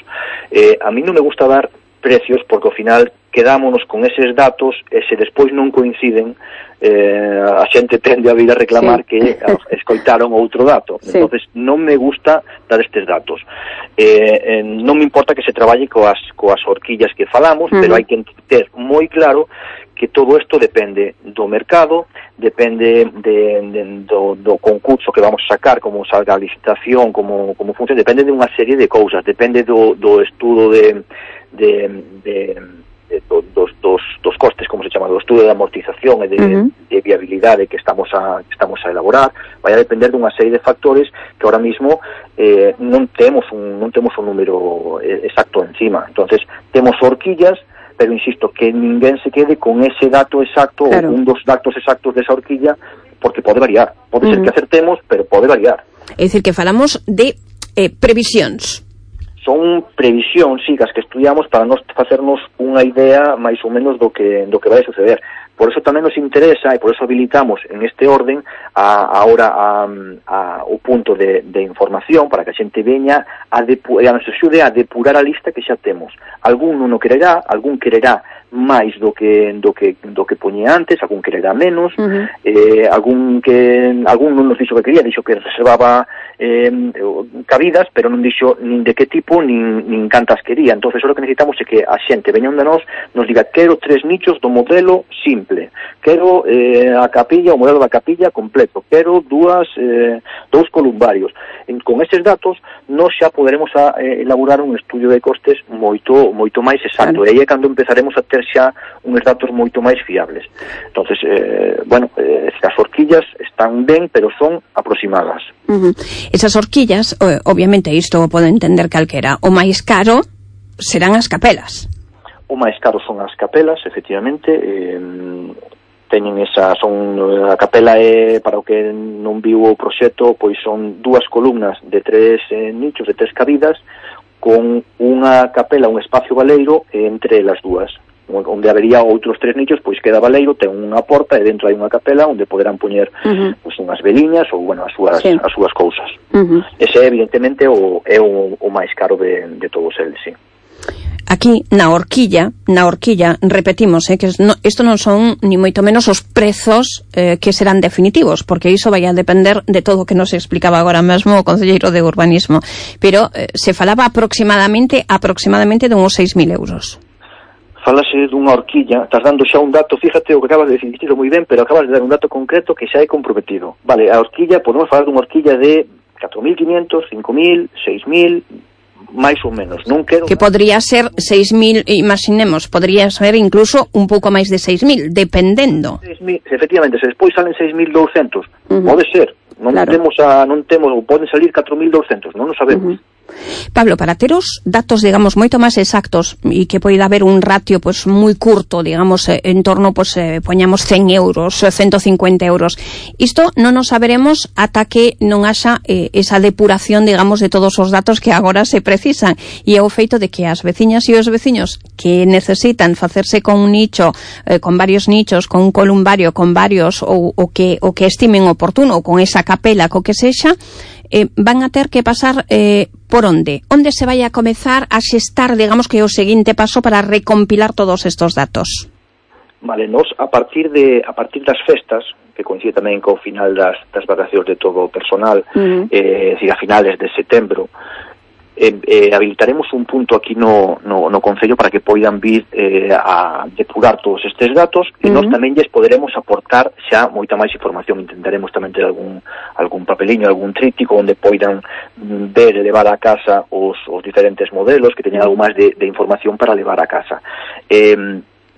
eh, a mí non me gusta dar precios, porque ao final quedámonos con eses datos, e se despois non coinciden, eh, a xente tende a vir a reclamar sí. que escoitaron outro dato. Sí. Entonces non me gusta dar estes datos. Eh, eh, non me importa que se traballe coas, coas horquillas que falamos, uh-huh. pero hai que ter moi claro que todo isto depende do mercado, depende de, de, do, do concurso que vamos a sacar, como salga a licitación, como, como funciona, depende de unha serie de cousas, depende do, do estudo de, de, de, de do, dos, dos, dos costes, como se chama, do estudo de amortización e de, uh-huh. de viabilidade que estamos a que estamos a elaborar. Vai a depender dunha serie de factores que ahora mismo eh, non temos un non temos un número exacto encima. Entonces, temos horquillas, pero insisto, que ninguén se quede con ese dato exacto, claro. ou un dos datos exactos desa horquilla, porque pode variar. Pode uh-huh. ser que acertemos, pero pode variar. É dicir, que falamos de eh, previsións. son previsións, sí, as que estudiamos para nos facernos unha idea máis ou menos do que do que vai suceder. Por eso tamén nos interesa e por eso habilitamos en este orden a, ahora a, a, o punto de, de información para que a xente veña a, depu, a nos axude a depurar a lista que xa temos. Algún non o quererá, algún quererá máis do que do que do que poñía antes, algún quererá menos, uh-huh. eh, algún que algún non nos dixo que quería, dixo que reservaba eh, cabidas, pero non dixo nin de que tipo nin, nin cantas quería. Entonces, o que necesitamos é que a xente veña onde nós nos diga quero tres nichos do modelo simple, quero eh, a capilla, o modelo da capilla completo, quero dúas eh, dous columbarios. En, con estes datos nós xa poderemos a, eh, elaborar un estudio de costes moito moito máis exacto, claro. E aí é cando empezaremos a ter xa uns datos moito máis fiables. Entonces, eh, bueno, eh, as horquillas están ben, pero son aproximadas. Uh-huh. Esas horquillas, obviamente isto pode entender calquera, o máis caro serán as capelas. O máis caro son as capelas, efectivamente, eh, teñen esa, son, a capela é, para o que non viu o proxecto, pois son dúas columnas de tres eh, nichos, de tres cabidas, con unha capela, un espacio baleiro entre as dúas, onde habería outros tres nichos, pois queda baleiro, ten unha porta e dentro hai unha capela onde poderán poñer uh-huh. pois, unhas veliñas ou, bueno, as súas, sí. as súas cousas. Uh-huh. Ese, evidentemente, o, é o, o máis caro de, de todos eles, sí. Aquí, na horquilla, na horquilla, repetimos, eh, que no, isto non son ni moito menos os prezos eh, que serán definitivos, porque iso vai a depender de todo o que nos explicaba agora mesmo o concelleiro de Urbanismo, pero eh, se falaba aproximadamente aproximadamente de uns seis mil euros. Falase dunha horquilla, estás dando xa un dato, fíjate o que acabas de decir moi ben, pero acabas de dar un dato concreto que xa é comprometido. Vale, a horquilla, podemos falar dunha horquilla de catro mil quinientos, cinco mil, seis mil, máis ou menos, non quero... Que podría ser seis mil, imaginemos, podría ser incluso un pouco máis de seis mil, dependendo. seis mil, efectivamente, se despois salen seis mil douscentos, uh-huh. pode ser, non claro. temos a, non temos, ou poden salir catro mil douscentos, non o sabemos. Uh-huh. Pablo, para ter os datos, digamos, moito máis exactos e que poida haber un ratio pues, moi curto, digamos, en torno, pues, eh, poñamos cen euros, ciento cincuenta euros, isto non nos saberemos ata que non haxa eh, esa depuración, digamos, de todos os datos que agora se precisan, e é o feito de que as veciñas e os veciños que necesitan facerse con un nicho, eh, con varios nichos, con un columbario, con varios, ou o que, o que estimen oportuno, ou con esa capela, co que sexa, Eh, van a ter que pasar eh, por onde? Onde se vai a comezar a xestar, digamos, que é o seguinte paso para recompilar todos estos datos? Vale, nos a partir de a partir das festas, que coincide tamén co final das, das vacacións de todo o personal, uh-huh. eh, decir, a finales de setembro, eh, eh, habilitaremos un punto aquí no, no, no Concello para que poidan vir eh, a depurar todos estes datos e uh-huh. nós tamén lles poderemos aportar xa moita máis información. Intentaremos tamén ter algún, algún papeliño, algún tríptico onde poidan ver e levar a casa os, os diferentes modelos que teñan algo máis de, de información para levar a casa. Eh,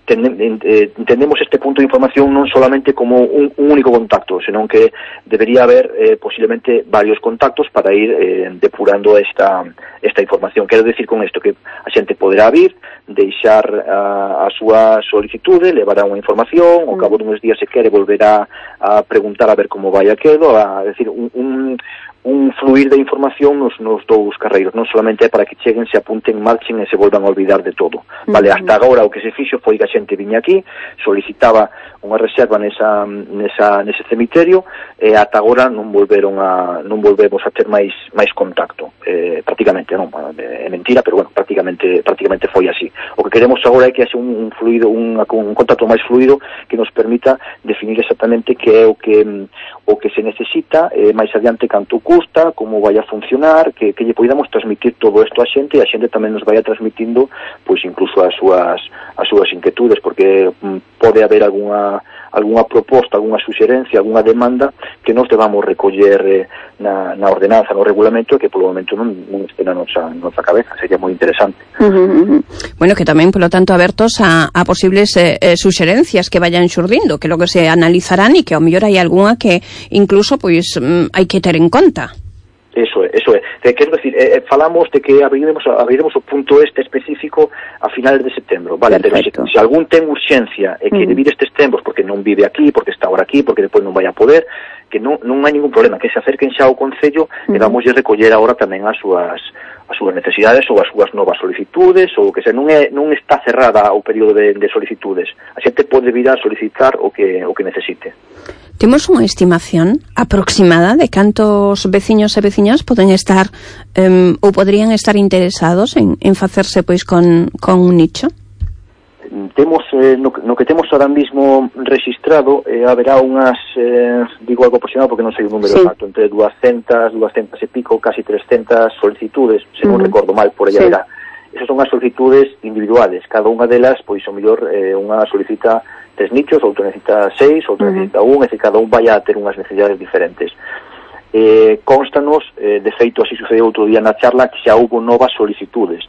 entendemos este punto de información non solamente como un, un único contacto, senón que debería haber eh, posiblemente varios contactos para ir eh, depurando esta, esta información. Quero decir con isto que a xente poderá vir, deixar a, a súa solicitude, levará unha información, ao cabo dunhos días se quere volverá a preguntar a ver como vai aquilo, a decir, un, un un fluir de información nos, nos dous carreiros, non solamente é para que cheguen, se apunten, marchen e se volvan a olvidar de todo. Vale, uh-huh. hasta agora o que se fixo foi que a xente viña aquí, solicitaba unha reserva nesa, nesa, nese cemiterio e ata agora non volveron a non volvemos a ter máis máis contacto. Eh, prácticamente, non, é mentira, pero bueno, prácticamente prácticamente foi así. O que queremos agora é que haxe un, un fluido, un, un contacto máis fluido que nos permita definir exactamente que é o que o que se necesita, eh, máis adiante canto custa, como vai a funcionar, que, que lle podamos transmitir todo isto a xente e a xente tamén nos vai a transmitindo pois incluso as súas as súas inquietudes, porque mm, pode haber algunha algunha proposta, algunha suxerencia, algunha demanda que nos debamos recoller eh, na, na ordenanza, no regulamento, que polo momento non, non este na nosa, nosa cabeza. Sería moi interesante. Uh-huh, uh-huh. Bueno, que tamén, polo tanto, abertos a, a posibles eh, eh, suxerencias que vayan xurdindo, que logo se analizarán e que ao mellor hai algunha que incluso pois mm, hai que ter en conta. Eso é, eso é. Quero decir, eh, falamos de que abriremos, abriremos o punto este específico a finales de setembro, vale? Pero se, se algún ten urxencia e que uh-huh. vir estes tempos porque non vive aquí, porque está ahora aquí, porque depois non vai a poder, que non, non hai ningún problema, que se acerquen xa ao Concello uh-huh. e vamos a recoller agora tamén as súas as súas necesidades ou as súas novas solicitudes, ou que se non é non está cerrada o período de, de solicitudes. A xente pode vir a solicitar o que o que necesite. Temos unha estimación aproximada de cantos veciños e veciñas poden estar um, ou podrían estar interesados en, en facerse pois con, con un nicho? Temos, eh, no, no que temos ahora mismo registrado, eh, haberá unhas, eh, digo algo aproximado porque non sei o número sí. exacto, entre doscientas, doscientas e pico, casi trescentas solicitudes, se non uh-huh. recordo mal, por aí sí. haberá. Esas son as solicitudes individuales, cada unha delas, pois, o mellor, eh, unha solicita tres nichos, outro necesita seis, outro uh-huh. necesita un, e que cada un vai a ter unhas necesidades diferentes. Eh, constanos, eh, de feito, así sucedeu outro día na charla, que xa houve novas solicitudes.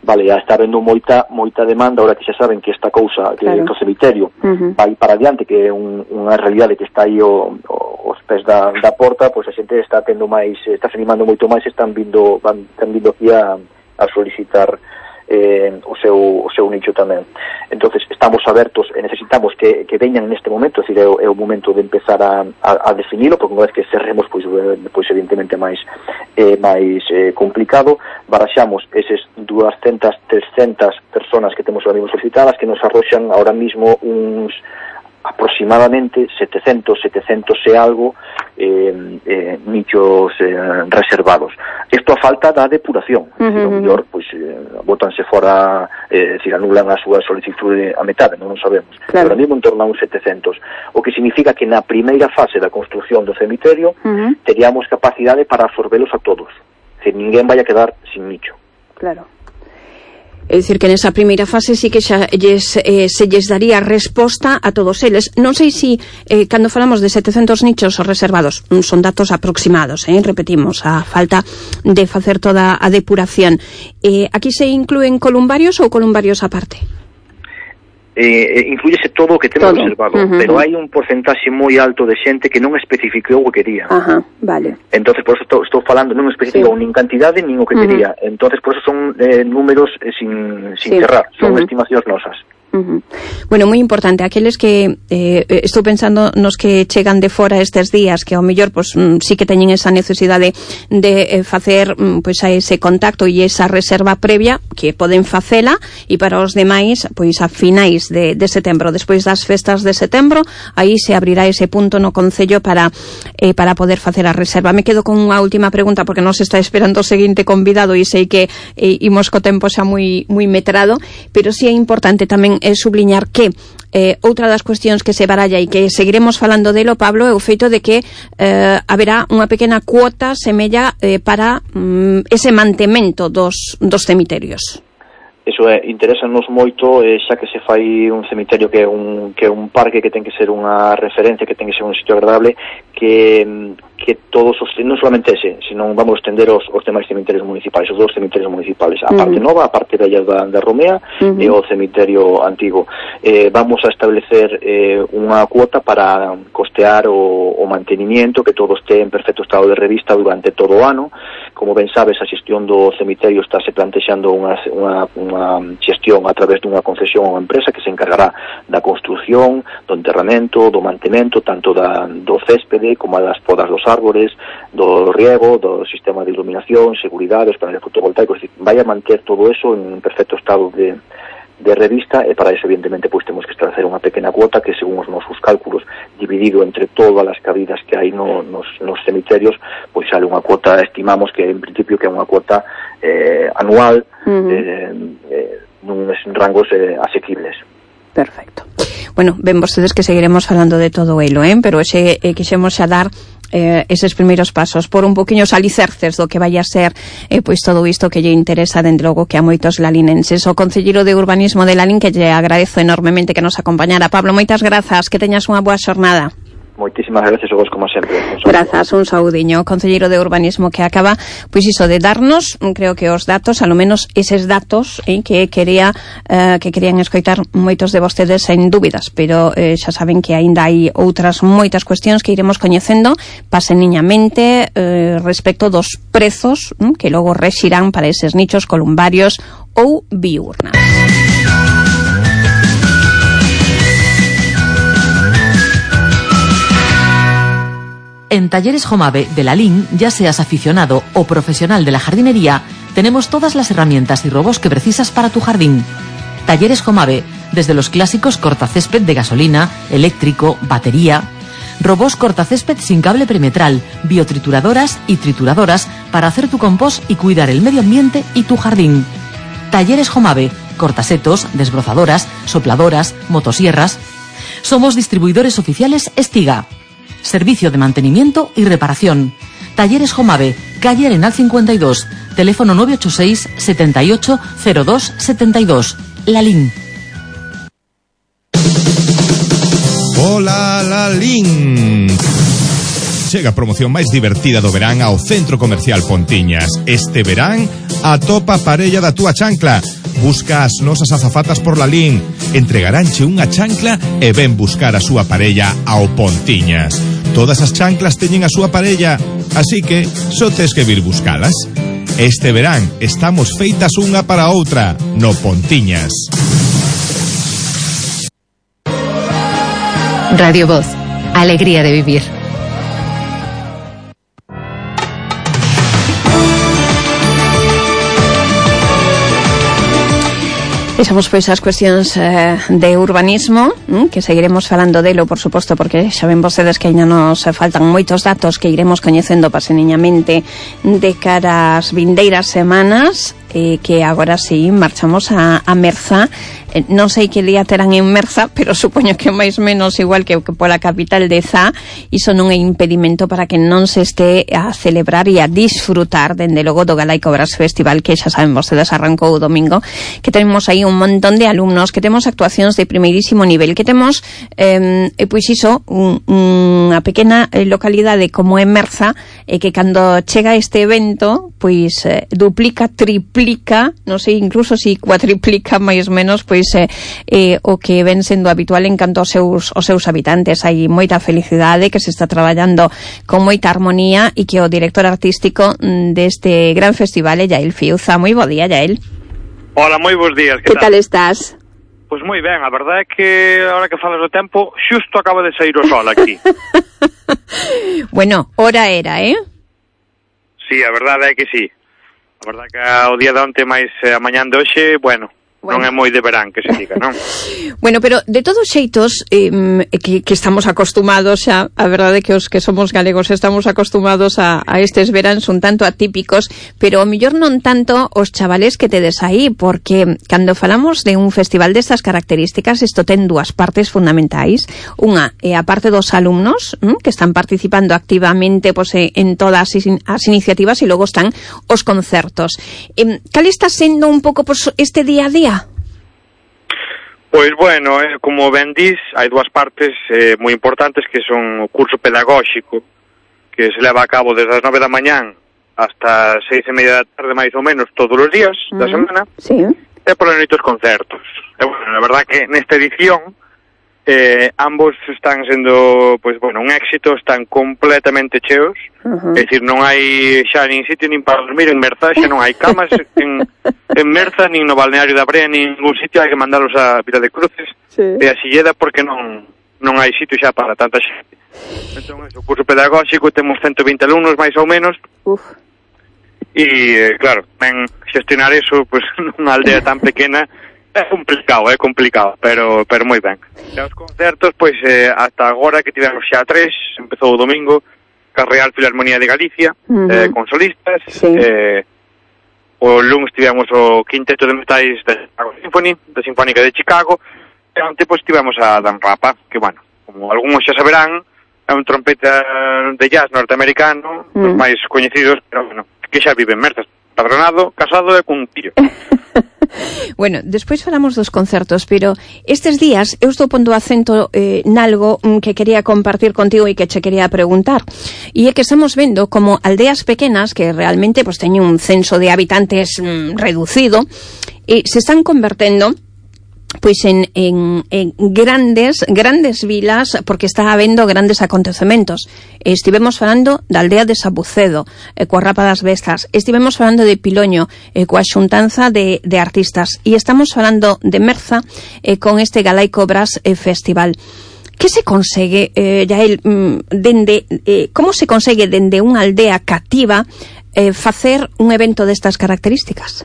Vale, já está habendo moita moita demanda, ahora que xa saben que esta cousa, que claro. o cemiterio uh-huh. vai para adiante, que é un, unha realidade que está aí o, o, os pés da, da porta, pois a xente está tendo máis, está se animando moito máis, están vindo, van, están vindo aquí a, a solicitar eh, o seu o seu nicho tamén. Entonces estamos abertos e necesitamos que, que veñan neste momento, é dicir, é o, é o momento de empezar a, a, a definilo, porque unha vez que cerremos, pois, pois evidentemente máis eh, máis eh, complicado. Baraxamos eses doscientas, trescentas personas que temos ahora mismo solicitadas, que nos arroxan ahora mismo uns aproximadamente setecentos, setecentos e algo eh, eh, nichos eh, reservados. Isto a falta da depuración. Uh-huh. O mellor, pois, eh, botanse fora, eh, decir, anulan a súa solicitude a metade, non o sabemos. Claro. Pero mesmo en torno a uns setecentos. O que significa que na primeira fase da construción do cemiterio uh-huh. teríamos capacidade para absorbelos a todos. Que ninguén vai a quedar sin nicho. Claro. É dicir, que nesa primeira fase sí que xa lles, eh, se lles daría resposta a todos eles. Non sei se, eh, cando falamos de setecentos nichos reservados, son datos aproximados, eh, repetimos, a falta de facer toda a depuración. Eh, aquí se incluen columbarios ou columbarios aparte? Eh, incluyese todo o que temos todo. reservado, uh-huh. pero hai un porcentaxe moi alto de xente que non especificou o que quería. Ajá, uh-huh. vale. Entonces, por eso estou, estou falando, non especificou sí. nin cantidade nin o que uh-huh. quería. Entonces, por eso son eh, números eh, sin, sin sí. cerrar, son uh-huh. estimacións nosas. Uh-huh. Bueno, moi importante, aqueles que eh, estou pensando nos que chegan de fora estes días, que ao mellor pues, mm, sí que teñen esa necesidade de eh, facer mm, pues, a ese contacto e esa reserva previa, que poden facela, e para os demais pois a finais de, de setembro, despois das festas de setembro, aí se abrirá ese punto no Concello para eh, para poder facer a reserva. Me quedo con unha última pregunta, porque nos está esperando o seguinte convidado e sei que eh, imos co tempo xa moi moi metrado, pero sí é importante tamén é subliñar que eh, outra das cuestións que se baralla e que seguiremos falando delo, Pablo, é o feito de que eh, haberá unha pequena cuota semella eh, para mm, ese mantemento dos, dos cemiterios. Eso é, interesanos moito, eh, xa que se fai un cemiterio que é un, que é un parque, que ten que ser unha referencia, que ten que ser un sitio agradable, que, que todos os, non solamente ese, sino vamos a extender os, os demais cemiterios municipais, os dos cemiterios municipais, a parte uh-huh. nova, a parte bella da, da Romea uh-huh. e o cemiterio antigo. Eh, vamos a establecer eh, unha cuota para costear o, o mantenimiento, que todo este en perfecto estado de revista durante todo o ano. Como ben sabes, a xestión do cemiterio está se plantexando unha, unha, unha xestión a través dunha concesión a unha empresa que se encargará da construción, do enterramento, do mantemento, tanto da, do céspede como das podas dos árbores, do riego, do sistema de iluminación, seguridade, os paneles fotovoltaicos. Vai a manter todo eso en perfecto estado de de revista, e para eso evidentemente pois temos que establecer unha pequena cuota que, según os nosos cálculos, dividido entre todas as cabidas que hai no, nos, nos cemiterios, pois sale unha cuota, estimamos que en principio que é unha cuota eh, anual uh-huh. eh, eh, nuns rangos eh, asequibles. Perfecto. Bueno, ven vostedes que seguiremos falando de todo elo, eh? pero xe eh, quixemos xa dar eh, eses primeiros pasos por un poquinho os alicerces do que vai a ser eh, pois todo isto que lle interesa, dende logo, que a moitos lalinenses. O concelleiro de urbanismo de Lalín, que lle agradezo enormemente que nos acompañara. Pablo, moitas grazas, que teñas unha boa xornada. Moitísimas gracias a vos, como sempre. Grazas, un saudiño. Concelleiro de urbanismo, que acaba, pois iso, de darnos, creo que os datos, a lo menos eses datos eh, que quería eh, que querían escoitar moitos de vostedes sen dúbidas, pero eh, xa saben que aínda hai outras moitas cuestións que iremos coñecendo paseniñamente eh, respecto dos prezos eh, que logo rexirán para eses nichos columbarios ou biurnas. En Talleres Jomave de la Lin, ya seas aficionado o profesional de la jardinería, tenemos todas las herramientas y robots que precisas para tu jardín. Talleres Jomave, desde los clásicos cortacésped de gasolina, eléctrico, batería, robots cortacésped sin cable perimetral, biotrituradoras y trituradoras para hacer tu compost y cuidar el medio ambiente y tu jardín. Talleres Jomave, cortasetos, desbrozadoras, sopladoras, motosierras. Somos distribuidores oficiales Estiga. Servicio de mantenimiento y reparación. Talleres Jomave, calle Arenal cincuenta y dos, teléfono nueve ocho seis, setenta y ocho, cero dos, setenta y dos. Lalín. Hola, Lalín. Chega a promoción máis divertida do verán ao Centro Comercial Pontiñas. Este verán, atopa a parella da túa chancla. Busca as nosas azafatas por Lalín. Entregaránche unha chancla e ven buscar a súa parella ao Pontiñas. Todas as chanclas teñen a súa parella, así que só tes que vir buscalas. Este verán estamos feitas unha para outra no Pontiñas. Radio Voz, alegría de vivir. Vexamos pois as cuestións eh, de urbanismo, hm, que seguiremos falando delo, por suposto, porque xa ven vostedes que ainda nos faltan moitos datos que iremos coñecendo paseniñamente de cara ás vindeiras semanas, eh, que agora sí marchamos a, a Merza. Eh, non sei que día terán en Merza, pero supoño que máis menos igual que, que pola capital de Zá, iso non é impedimento para que non se este a celebrar e a disfrutar, dende logo, do Galaico Brass Festival, que xa saben vostedes arrancou o domingo, que tenemos aí un montón de alumnos, que temos actuacións de primeirísimo nivel, que temos, eh, pois iso, un, unha pequena localidade como é Merza, e eh, que cando chega este evento, pois eh, duplica, triplica, non sei, incluso si cuatriplica máis menos, pois eh, eh, o que ven sendo habitual en canto aos seus, aos seus habitantes. Hai moita felicidade, que se está traballando con moita armonía, e que o director artístico deste gran festival é Yael Fiuza. Moi bo día, Yael. Hola, moi bons días, que, que tal? tal estás? Pois moi ben, a verdade é que ahora que falas do tempo, xusto acaba de sair o sol aquí. Bueno, hora era, eh? Sí, a verdade é que sí. A verdade é que o día de onte máis a mañán de hoxe, bueno, bueno, non é moi de verán, que se diga, non? Bueno, pero de todos xeitos, eh, que, que estamos acostumados xa, a verdade é que os que somos galegos estamos acostumados a, a estes veráns un tanto atípicos, pero o mellor non tanto os chavales que tedes aí, porque cando falamos de un festival destas características, isto ten dúas partes fundamentais. Unha é a parte dos alumnos, ¿m? que están participando activamente pues, en todas as iniciativas, e logo están os concertos. Eh, cal está sendo un pouco pues, este día a día? Pois bueno, eh, como ben dis, hai dúas partes eh, moi importantes, que son o curso pedagóxico, que se leva a cabo desde as nove da mañán hasta as seis e media da tarde, máis ou menos, todos os días mm, da semana, sí. E pola noite os concertos. E bueno, a verdad que nesta edición eh, ambos están sendo, pois bueno, un éxito, están completamente cheos, uh-huh. É dicir, non hai xa nin sitio nin para dormir en Merza, xa non hai camas en, en Merza, nin no balneario da Brea, nin ningún sitio, hai que mandalos a Vila de Cruces sí. E a Silleda, porque non non hai sitio xa para tanta xente. Entón, o curso pedagóxico, temos ciento vinte alumnos, máis ou menos. Uf. E, eh, claro, ben, xestionar eso, pois, pues, nunha aldea tan pequena, é complicado, é complicado, pero pero moi ben. E os concertos, pois, eh, ata agora que tivemos xa tres, empezou o domingo, ca Real Filarmonía de Galicia, uh-huh. eh, con solistas, sí. eh, o lunes tivemos o quinteto de metais da Chicago Symphony, da Sinfónica de Chicago, e onte, pois, tivemos a Dan Rapa, que, bueno, como algúns xa saberán, é un trompeta de jazz norteamericano, uh-huh. os máis coñecidos, pero, bueno, que xa vive en Merza, padronado, casado e cun fillo. Bueno, despois falamos dos concertos, pero estes días eu estou pondo acento eh, nalgo que quería compartir contigo e que che quería preguntar. E é que estamos vendo como aldeas pequenas que realmente pues, teñen un censo de habitantes mm, reducido e se están convertendo pois en, en, en grandes grandes vilas, porque está habendo grandes acontecementos. Estivemos falando da aldea de Sabucedo, eh, coa Rapa das Bestas, estivemos falando de Piloño, eh, coa xuntanza de, de artistas, e estamos falando de Merza, eh, con este Galaico Brass eh, Festival. Que se consegue, eh, Yael, dende, eh, como se consegue dende unha aldea cativa eh, facer un evento destas características?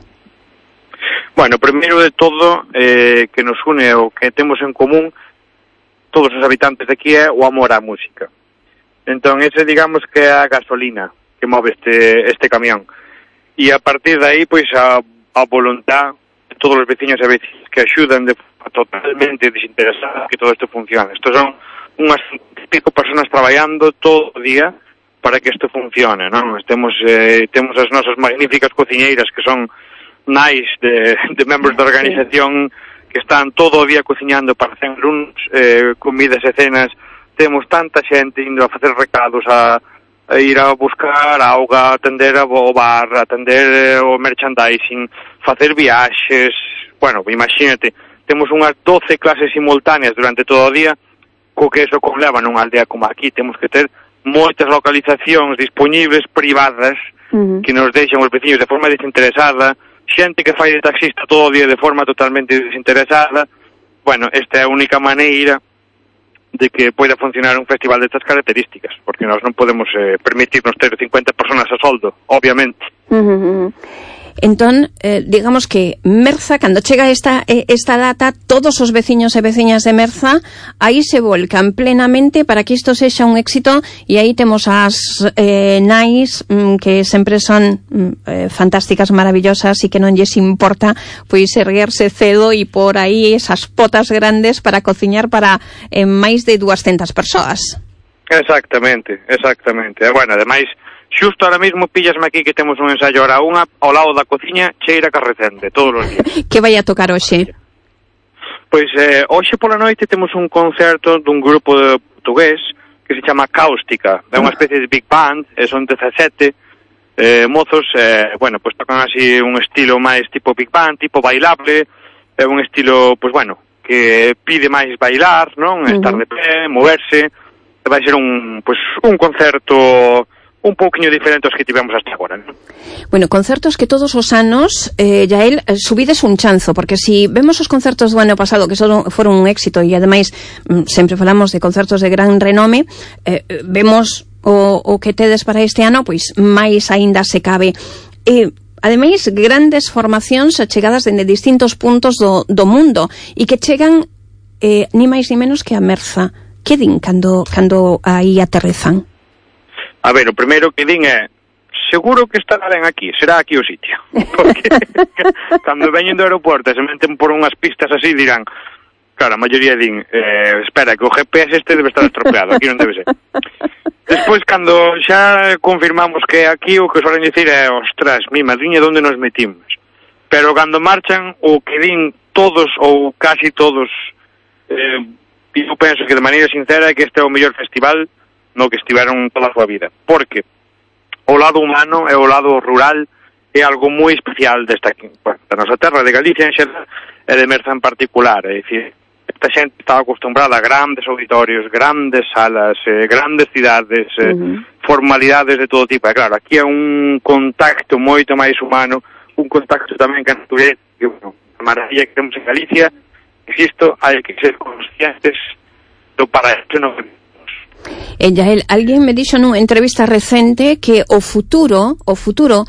Bueno, primeiro de todo, eh, que nos une o que temos en común todos os habitantes de aquí é o amor á música. Entón, ese digamos que é a gasolina que move este, este camión. E a partir de aí, pois, a, a voluntad de todos os veciños e vecinas que axudan de totalmente desinteresada que todo isto funcione. Isto son unhas pico personas traballando todo o día para que isto funcione, non? Temos, eh, temos as nosas magníficas cociñeiras que son nais de, de membros da organización que están todo o día cociñando para hacer uns eh, comidas e cenas. Temos tanta xente indo a facer recados, a, a ir a buscar auga, atender o bar, atender o merchandising, facer viaxes. Bueno, imagínate, temos unhas doce clases simultáneas durante todo o día, co que eso conleva nunha aldea como aquí. Temos que ter moitas localizacións disponibles, privadas, uh-huh. que nos deixan os veciños de forma desinteresada, xente que fai de taxista todo o día de forma totalmente desinteresada. Bueno, esta é a única maneira de que poida funcionar un festival destas características, porque nós non podemos eh, permitirnos ter cincuenta personas a soldo, obviamente. Uh-huh. Entón, eh, digamos que Merza, cando chega esta, esta data, todos os veciños e veciñas de Merza aí se volcan plenamente para que isto sexa un éxito, e aí temos as eh, nais mm, que sempre son mm, eh, fantásticas, maravillosas, e que non lles importa pois erguerse cedo e por aí esas potas grandes para cociñar para eh, máis de duascentas persoas. Exactamente, exactamente. E, bueno, ademais, xusto ahora mismo píllasme aquí que temos un ensaio ahora unha ao lado da cociña cheira carrecende todos os días. Que vai a tocar hoxe? Pois eh, hoxe pola noite temos un concerto dun grupo de portugués que se chama Cáustica. É unha especie de big band, e son dezasete eh, mozos, eh, bueno, pois tocan así un estilo máis tipo big band, tipo bailable, é un estilo, pois bueno, que pide máis bailar, non? Estar de pé, moverse. Vai ser un, pois, un concerto un pouquiño diferente aos que tivemos hasta agora, non? Bueno, concertos que todos os anos, eh, Yael, subides un chanzo, porque si vemos os concertos do ano pasado, que son, foron un éxito, e ademais sempre falamos de concertos de gran renome, eh, vemos o, o que tedes para este ano, pois máis aínda se cabe. Eh, ademais, grandes formacións chegadas dende distintos puntos do, do mundo, e que chegan eh, ni máis ni menos que a Merza. Que din cando, cando aí aterrizan? A ver, o primeiro que din é seguro que estará ben aquí, será aquí o sitio. Porque cando veñen do aeroporto e se meten por unhas pistas así dirán, claro, a maioría din eh, espera, que o G P S este debe estar estropeado, aquí non debe ser. Despois, cando xa confirmamos que aquí, o que suelen dicir é ostras, mi madriña, onde nos metimos? Pero cando marchan, o que din todos ou casi todos, eh, eu penso que de maneira sincera é que este é o mellor festival no que estiveron toda a súa vida, porque o lado humano e o lado rural é algo moi especial desta, bueno, da nosa terra, de Galicia en xeral e de Merza en particular. É dicir, esta xente estaba acostumbrada a grandes auditorios, grandes salas, eh, grandes cidades, eh, uh-huh. formalidades de todo tipo. E claro, aquí é un contacto moito máis humano, un contacto tamén que a natureza, que, bueno, a maravilla que temos en Galicia. Insisto, hai que ser conscientes do paraíso no que Eh, Yael, alguén me dixo nunha entrevista recente que o futuro, o futuro